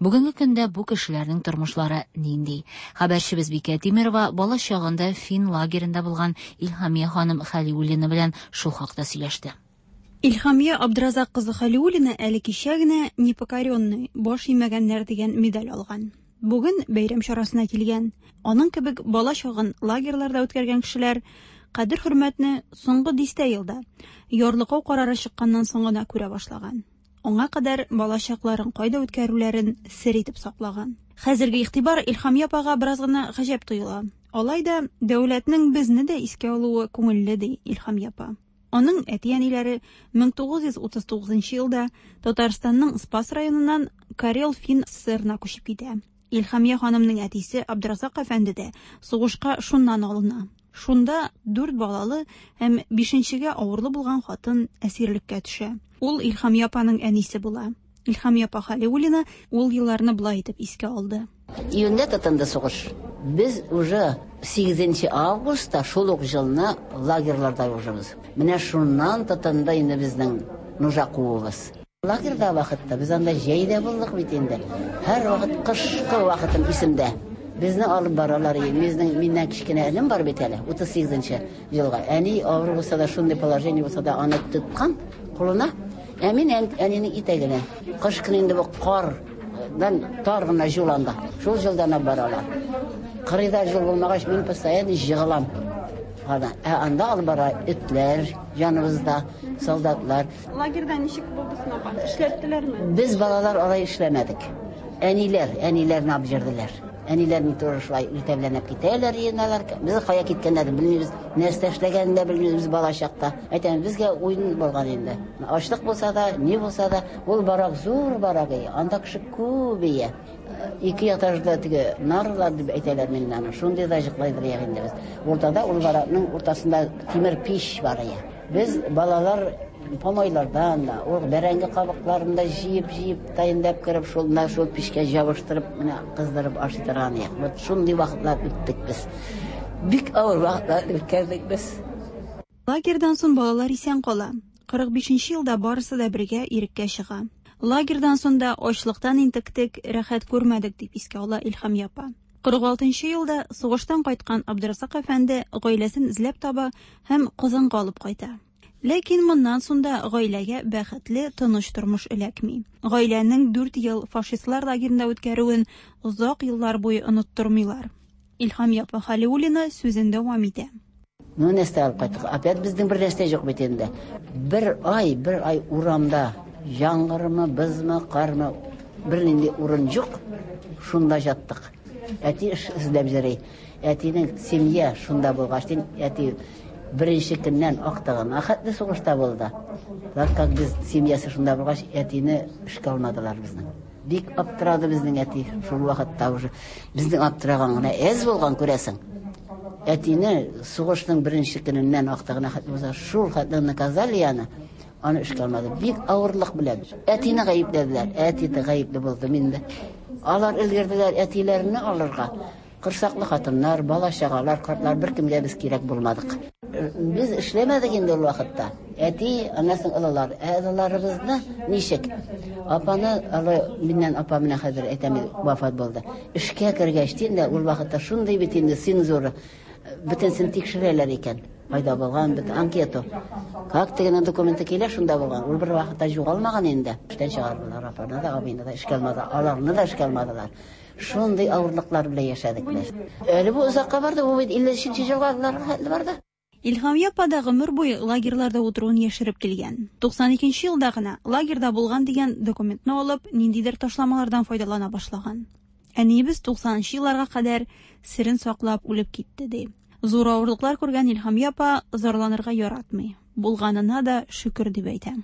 Бүгенге көндә бу кешеләрнең тормышлары нинди? Хәбәрчебез Бикә Тимирова бала чагында фин лагеренда булган Илһамия ханым Хәлиуллина белән шул хакта сөйләште. Илһамия Абдразак кызы Хәлиуллина әле кичә генә «Непокоренный» баш имәгәннәр дигән медаль алган. Бүген бәйрәм чарасына килгән. Аның кебек бала чагын лагерьларда үткәргән кешеләр кадер-хөрмәтне соңгы дистә елда ярлыкау карары чыкканнан соң гына күрә башлаган. Аңа кадәр бала чакларын кайда үткәрүләрен сер итеп саклаган. Хәзерге игътибар Илһамия апага бераз гына гаҗәп тоела. Алай да дәүләтнең безне дә искә алуы күңелле, ди Илһамия апа. Аның әти-әниләре мең тугыз йөз утыз тугызынчы елда Татарстанның Спас районыннан Карел-Фин СССРына күчеп китә. Илһамия ханымның әтисе Абдразак әфәнде дә сугышка шуннан алына. Шунда дүрт балалы һәм бишенчегә авырлы булган хатын әсирлеккә төшә. Ул Илһамия апаның әнисе була. Илһамия апа Хәлиуллина ул елларны былай итеп искә алды. Июньдә тотынды сугыш. Без уже сигезенче августта шул ук елны лагерьларда ужыбыз. Менә шуннан тотынды инде безнең нужа куыбыз. Лагерьда вакытта без анда җәйдә булдык бит инде. Һәр вакыт кышкы вакытым исемдә. Безне алып баралар, безнең миннән кечкенә энем бар бит әле, утыз сигезенче елга. Әни авыр булса да, шундый положение булса да, аны тоткан кулына. Ә мин әнинең итәгенә. Кыш көне инде бу кардан тар гына юл анда. Шул юлдан алып баралар. Кырыйда юл булмагач, мин постоянно җыгылам. Ә анда алып бара этләр, яныбызда солдатлар. Лагерьда ничек булды соң, апа? Эшләттеләрме? Без балалар алай эшләмәдек. Әниләр, әниләрне алып йөрделәр. Әниләр ни туры шулай иртә белән алып китәләр, йыйналар. Без кая киткәннәрен белмибез, нәрсә эшләгәнен дә белмибез бала чакта. Әйтәм, безгә уен булган инде. Ачлык булса да, ни булса да, ул барак зур барак, анда кеше күп ие. Ике этажда теге нарлар дип әйтәләр миннән аны. Шундый да җыклайдыр инде без. Уртада ул баракның уртасында тимер пич бар ие. Без балалар помойлардан да, ул бәрәңге кабыкларын да җыеп-җыеп таянып кереп, шул менә шул пичкә җабыштырып, менә кыздырып ашый торган идек. Вот шундый вакытлар үттек без. Бик авыр вакытлар үткәрдек без. Лагерьдан соң балалар исән кала. Кырык бишенче елда барысы да бергә иреккә чыга. Лагерьдан соң да ачлыктан интектек, рәхәт күрмәдек, дип искә ала Илһамия апа. Кырык алтынчы елда сугыштан кайткан Абдразак әфәнде гаиләсен эзләп таба һәм Казанга алып кайта. Ләкин моннан соң да гаиләгә бәхетле, тыныч тормыш эләкми. Гаиләнең дүрт ел фашистлар лагерында үткәрүен озак еллар буе оныттырмыйлар. Илһамия апа Хәлиуллина сүзен дәвам итә. Ну, нәрсә алып кайттык? Опять безнең бер нәрсә юк бит инде. Бер ай, бер ай урамда яңгырмы, бозмы, кармы, бернинди урын юк. Шунда яттык. Әти эш эзләп йөри. Әтинең семья шунда булгач, әти беренче көннән актыгын ахәтле сугышта булды. Так как без семьясы шунда булгач, әтине эшкә алмадылар безнең. Бик аптырады безнең әти шул вакытта уже. Безнең аптыраган гына әз булган, күрәсең. Әтине сугышның беренче көненнән актыгын ахәтле булса, шул хәтле наказали аны. Аны эшкә алмады. Бик авырлык белән. Әтине гаепләделәр. Әти дә гаепле булды инде. Алар өлгерделәр әтиләрне алырга. Кырсаклы хатыннар, бала чагалар, картлар беркемгә без кирәк булмадык. Без эшләмәдек инде ул вакытта. Әти, аннан олылар, олыларыбызны ничек? Апаны, алы миннән апа менә хәзер әйтәм, вафат булды. Эшкә кергәч инде ул вакытта шундый бит инде цензура. Бөтенсен тикшерәләр икән. Кайда булган, бит анкета. Как тегенең документы килә, шунда булган. Ул бер вакытта югалмаган инде. Эштән чыгардылар апаны да, абыйны да эшкә алмады. Аларны да эшкә алмадылар. Шундый авырлыклар белән яшәдек без. Әле бу озакка барды, бу бит илле өченче елга барды. Илһамия апа да гомер буе лагерьларда утыруын яшереп килгән. Туксан икенче елда гына лагерьда булган дигән документны алып, ниндидер ташламалардан файдалана башлаган. Әниебез туксанынчы елларга кадәр серен саклап үлеп китте, ди. Зур авырлыклар күргән Илһамия апа зарланырга яратмый. Булганына да шөкер дип әйтә.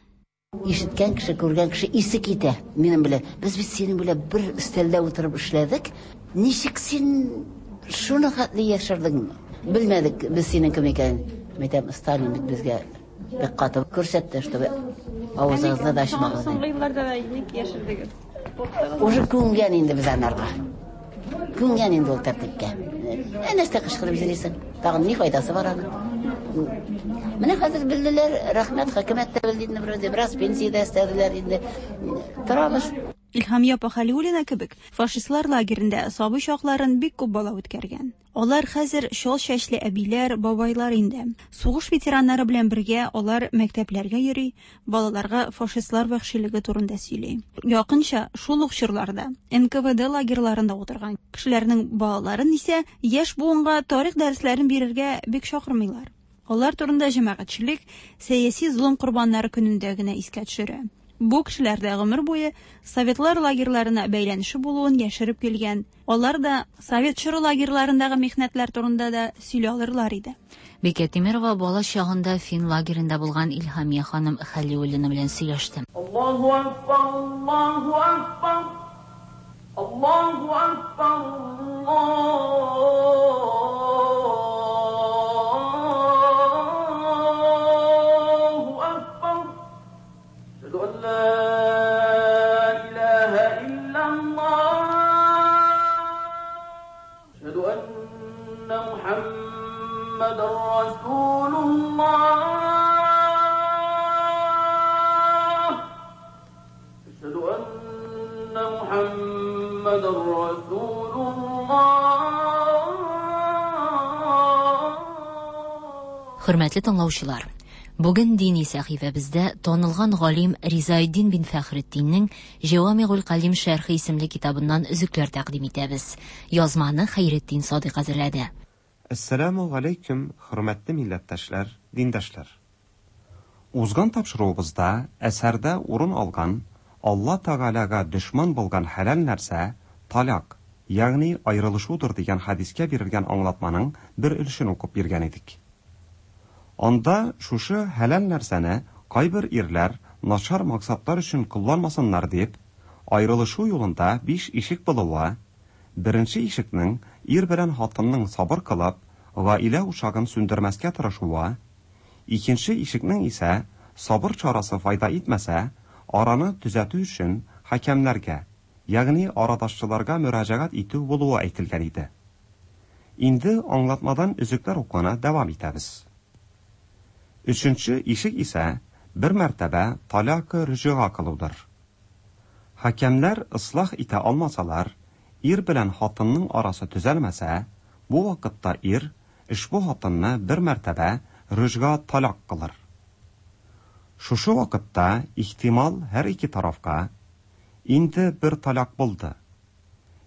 Ишеткән кеше, күргән кеше исе китә минем белән. Без бит синең белән бер өстәлдә утырып эшләдек. Ничек син шуны хәтле яшердең? Белмәдек без синең кем икәнен. Мәйтәм, Сталин бит безгә бик каты күрсәтте, чтобы авызыгызны да ачмагыз. Соңгы елларда да ник яшердегез? Уже күнгән инде без анарга. Күнгән инде ул тәртипкә. Ә нәрсә кычкырып йөрисең? Тагын ни файдасы бар аның? Менә хәзер белделәр, рәхмәт, хөкүмәт тә белде инде, вроде бераз пенсия дә өстәделәр инде. Торабыз. Илһамия апа Хәлиуллина кебек фашистлар лагерында сабый чакларын бик күп бала үткәргән. Алар хәзер чал чәчле әбиләр, бабайлар инде. Сугыш ветераннары белән бергә алар мәктәпләргә йөри, балаларга фашистлар вәхшилеге турында сөйли. Якынча шул ук чорларда Н К В Д лагерьларында утырган кешеләрнең балаларын исә яшь буынга тарих дәресләрен бирергә бик чакырмыйлар. Алар турында җәмәгатьчелек сәяси золым корбаннары көнендә генә искә төшерә. Бу кешеләр дә гомер буе советлар лагерьларына бәйләнеше булуын яшереп килгән. Алар да совет чоры лагерьларындагы михнәтләр турында да сөйли алырлар иде. Бикә Тимирова бала чагында фин лагеренда булган Илһамия ханым Хәлиуллина белән сөйләште. Аллаһу акбар, Аллаһу акбар, Аллаһу акбар, Аллаһу акбар. Әшһәду ан ла илаһа иллаллаһ. Әшһәду анна Мухаммадан расулуллаһ. Әшһәду анна Мухаммадан расулуллаһ. Хөрмәтле тыңлаучылар, бүген дини сәхифәбездә танылган галим Ризаэддин бин Фәхретдиннең Җавамигул Калим шәрхе исемле китабыннан өзекләр тәкъдим итәбез. Язманы Хәйретдин Садыйк әзерләде. Әссәламу алейкум, хөрмәтле милләттәшләр, диндашлар. Узган тапшыруыбызда әсәрдә урын алган Алла Тәгаләгә дошман булган хәләл нәрсә талак, ягъни аерылышудыр дигән хәдискә бирелгән аңлатманың бер өлешен укып биргән идек. Анда шушы хәләл нәрсәне кайбер ирләр начар максатлар өчен кулланмасыннар дип, аерылышу юлында биш ишек булуы, беренче ишекнең ир белән хатынның сабыр кылып, гаилә учагын сүндермәскә тырышуы, икенче ишекнең исә сабыр чарасы файда итмәсә, араны төзәтү өчен хакимнәргә, ягъни арадашчыларга мөрәҗәгать итү булуы әйтелгән иде. Инде аңлатмадан өзекләр укуны дәвам итәбез. Өченче ишек исә бер мәртәбә талакы рөҗуга кылудыр. Хакимнәр ислах итә алмасалар, ир белән хатынның арасы төзәлмәсә, бу вакытта ир ошбу хатынны бер мәртәбә рөҗга талак кылыр. Шушы вакытта ихтимал һәр ике тарафка инде бер талак булды.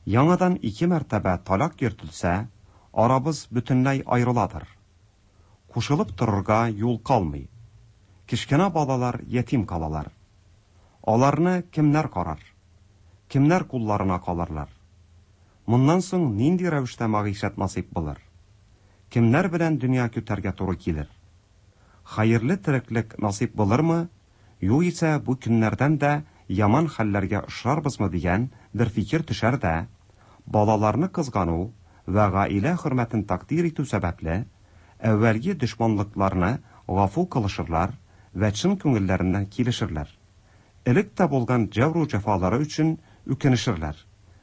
Яңадан ике мәртәбә талак йөртелсә, арабыз бөтенләй аерыладыр. Кушылып торырга юл калмый. Кечкенә балалар ятим калалар. Аларны кемнәр карар? Кемнәр кулларына калырлар? Моннан соң нинди рәвештә мәгыйшәт насыйп булыр? Кемнәр белән дөнья көтәргә туры килер? Хәерле тереклек насыйп булырмы? Югыйсә бу көннәрдән дә яман хәлләргә очрарбызмы дигән бер фикер төшәр дә, балаларны кызгану ва гаилә хөрмәтен тәкъдир итү сәбәпле, әүвәлге дошманлыкларны гафу кылышырлар вә чын күңелләреннән килешерләр. Элек тә булган җәбру җәфалары өчен үкенешерләр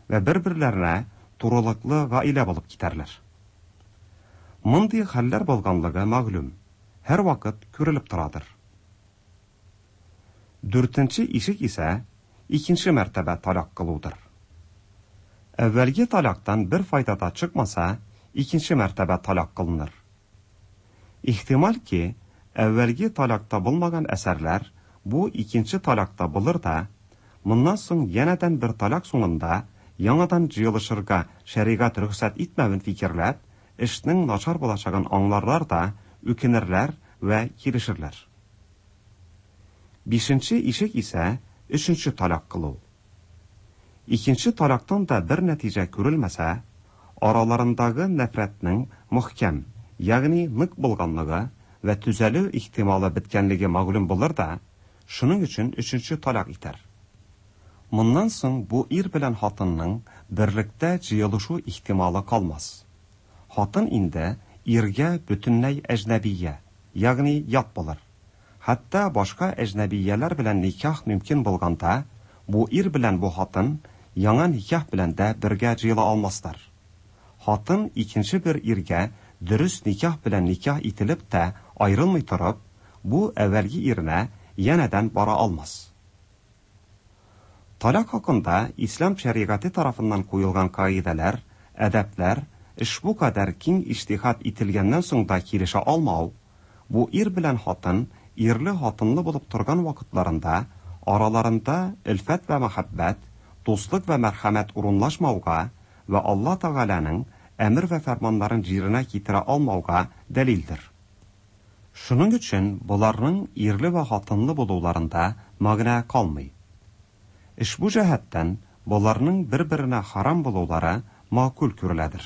вә бер-берләренә турылыклы гаилә булып китәрләр. Мондый хәлләр булганлыгы мәгълүм, һәр вакыт күрелеп торадыр. Дүртенче ишек исә икенче мәртәбә талак кылудыр. Әүвәлге талактан бер файда да чыкмаса, икенче мәртәбә талак кылыныр. Ихтимал ки, әүвәлге талакта булмаган әсәрләр бу икенче талакта булыр да, моннан соң янәдән бер талак соңында яңадан җыелышырга шәригать рөхсәт итмәвен фикерләп, эшнең начар булачагын аңларлар да, үкенерләр вә килешерләр. Бишенче ишек исә өченче талак кылу. Икенче талактан да бер нәтиҗә күрелмәсә, араларындагы нәфрәтнең мөхкәм, ягъни нык булганлыгы вә төзәлү ихтималы беткәнлеге мәгълүм булыр да, шуның өчен өченче талак итәр. Моннан соң бу ир белән хатынның берлектә җыелышу ихтималы калмас. Хатын инде иргә бөтенләй әҗнәбия, ягъни ят булыр. Хәтта башка әҗнәбияләр белән никах мөмкин булганда, бу ир белән бу хатын яңа никах белән дә бергә җыела алмаслар. Хатын икенче бер иргә дөрес никах белән никах ителеп тә аерылмый торып, бу әүвәлге иренә янәдән бара алмас. Талак хакында ислам шәригате тарафыннан куелган кагыйдәләр, әдәпләр ошбу кадәр киң иҗтиһад ителгәннән соң да килешә алмау, бу ир белән хатын ирле-хатынлы булып торган вакытларында араларында өлфәт вә мәхәббәт, дуслык вә мәрхәмәт урынлашмауга вә Алла Тәгаләнең әмер вә фәрманнарын җиренә китерә алмауга дәлилдер. Шуның өчен боларның ирле вә хатынлы булуларында мәгънә калмый. Ошбу җәһәттән боларның бер-беренә харам булулары мәгъкуль күреләдер.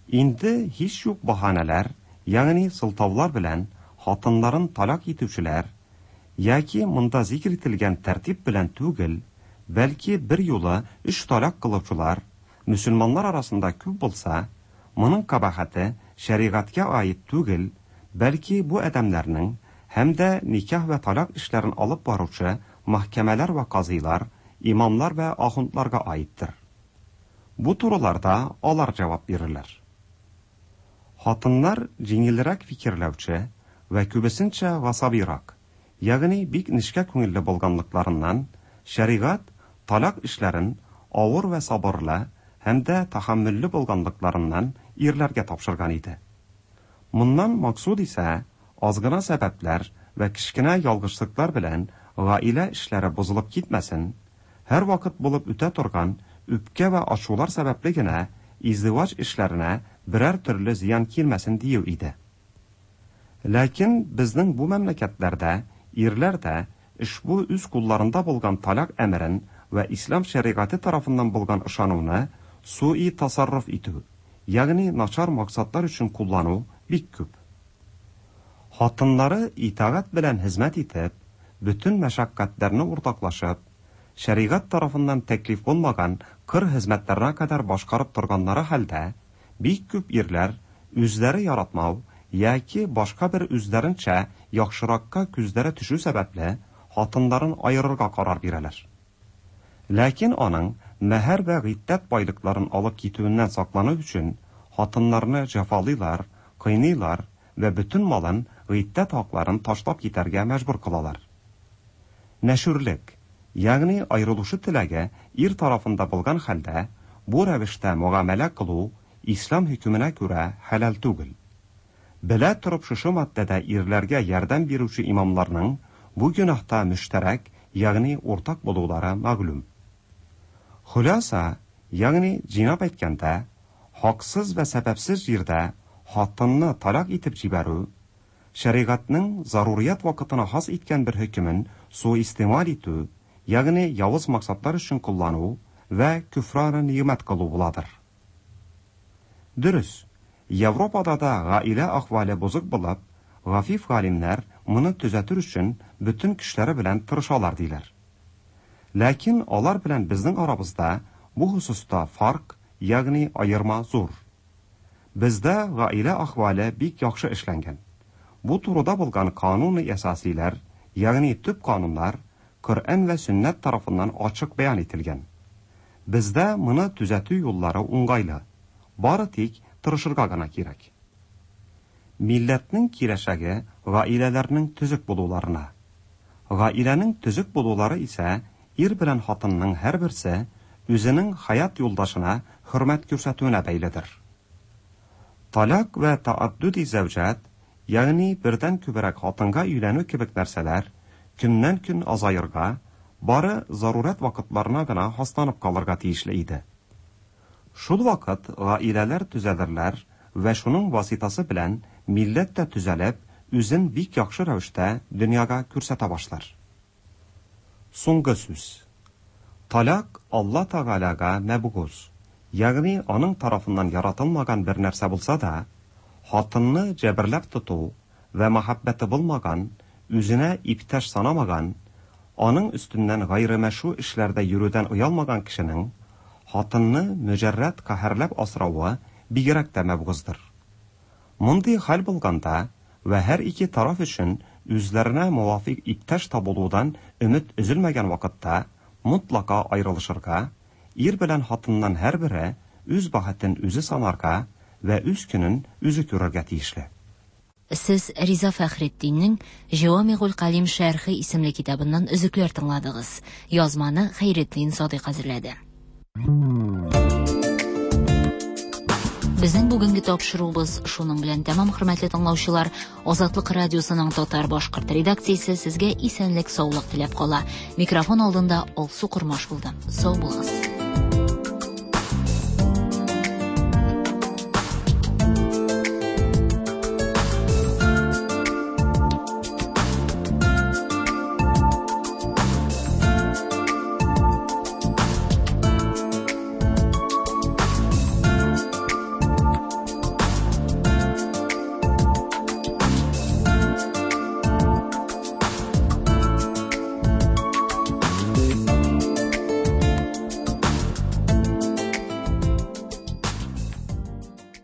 Инде һич юк баһанәләр, ягъни сылтаулар белән хатыннарын талак итүчеләр яки монда зикр ителгән тәртип белән түгел, бәлки бер юлы өч талак кылучылар мөселманнар арасында күп булса, моның кабахәте шәригатькә аид түгел, бәлки бу адәмнәрнең һәм дә никах вә талак эшләрен алып баручы мәхкәмәләр вә казыйлар, имамлар вә ахундларга аидтер. Бу турыларда алар җавап бирерләр. Хатыннар җиңелрәк фикерләүче вә күбесенчә гасабирак, ягъни бик нечкә күңелле булганлыкларыннан шәригать талак эшләрен авыр вә сабырлы һәм дә тәхәммүлле булганлыкларыннан ирләргә тапшырган иде. Моннан максуд исә аз гына сәбәпләр вә кечкенә ялгышлыклар белән гаилә эшләре бозылып китмәсен, һәр вакыт булып үтә торган үпкә вә ачулар сәбәпле генә издиваҗ эшләренә берәр төрле зыян килмәсен дию иде. Ләкин безнең бу мәмләкәтләрдә ирләр дә ошбу үз кулларында булган талак әмерен вә ислам шәригате тарафыннан булган ышануны суи тасарруф итү, ягъни начар максатлар өчен куллану бик күп. Хатыннары итагать белән хезмәт итеп, бөтен мәшәкатьләрне уртаклашып, шәригать тарафыннан тәклиф булмаган кыр хезмәтләренә кадәр башкарып торганнары хәлдә, бик күп ирләр үзләре яратмау яки башка бер үзләренчә яхшыракка күзләре төшү сәбәпле хатыннарын аерырга карар бирәләр. Ләкин аның мәһәр вә гыйддәт байлыкларын алып китүеннән саклану өчен хатыннарны җәфалыйлар, кыйныйлар вә бөтен малын, гыйддәт хакларын ташлап китәргә мәҗбүр кылалар. Нәшүрлек, ягъни аерылышу теләге ир тарафында булган хәлдә бу рәвештә мөгамәлә кылу ислам хөкеменә күрә хәләл түгел. Белә торып шушы маддәдә ирләргә ярдәм бирүче имамларның бу гөнаһта мөштәрәк, ягъни уртак булулары мәгълүм. Хуласа, ягъни җыйнап әйткәндә, хаксыз вә сәбәпсез җирдә хатынны талак итеп җибәрү, шәригатьнең зарурият вакытына хас иткән бер хөкемен суистималь итү, ягъни явыз максатлар өчен куллану вә күфраны ниъмәт кылу буладыр. Дөрес, Европада да гаилә әхвале бозык булып, гафиф галимнәр моны төзәтер өчен бөтен көчләре белән тырышалар диләр. Ләкин алар белән безнең арабызда бу хосуста фарк, ягъни аерма зур. Бездә гаилә әхвале бик яхшы эшләнгән. Бу турыда булган кануны әсасиләр, ягъни төп кануннар Коръән вә сөннәт тарафыннан ачык бәян ителгән. Бездә моны төзәтү юллары уңгайлы. Бары тик тырышырга гына кирәк. Милләтнең киләчәге гаиләләрнең төзек булуларына. Гаиләнең төзек булулары исә ир белән хатынның һәрберсе үзенең хаят юлдашына хөрмәт күрсәтүенә бәйледер. Талак вә тааддуди зәүҗәт, ягъни бердән күбрәк хатынга өйләнү кебек нәрсәләр көннән көн азаерга, бары зарурәт вакытларына гына хасланып калырга тиешле иде. Шул вакыт гаиләләр төзәлерләр вә шуның васитасы белән милләт тә төзәлеп, үзен бик яхшы рәвештә дөньяга күрсәтә башлар. Соңгы сүз. Талак Алла Тәгаләгә мәбгуз, ягъни аның тарафыннан яратылмаган бер нәрсә булса да, хатынны җәберләп тоту вә мәхәббәте булмаган, үзенә иптәш санамаган, аның өстеннән гайрымәшру эшләрдә йөрүдән оялмаган кешенең хатынны мөҗәррәт каһәрләп асравы бигрәк тә мәбгуздыр. Мондый хәл булганда вә һәр ике тараф өчен үзләренә муафик иптәш табылудан өмет өзелмәгән вакытта мотлака аерылышырга, ир белән хатыннан һәрбере үз бәхетен үзе санарга вә үз көнен үзе күрергә тиешле. Сез Риза Фәхретдиннең Җавамигул Калим шәрхе исемле китабыннан өзекләр тыңладыгыз. Язманы Хәйретдин Садыйк әзерләде. Безнең бүгенге тапшыруыбыз шуның белән тәмам, хөрмәтле тыңлаучылар. Азатлык радиосының татар-башкорт редакциясе сезгә исәнлек-саулык теләп кала. Микрофон алдында Алсу Кормаш булды. Сау булыгыз.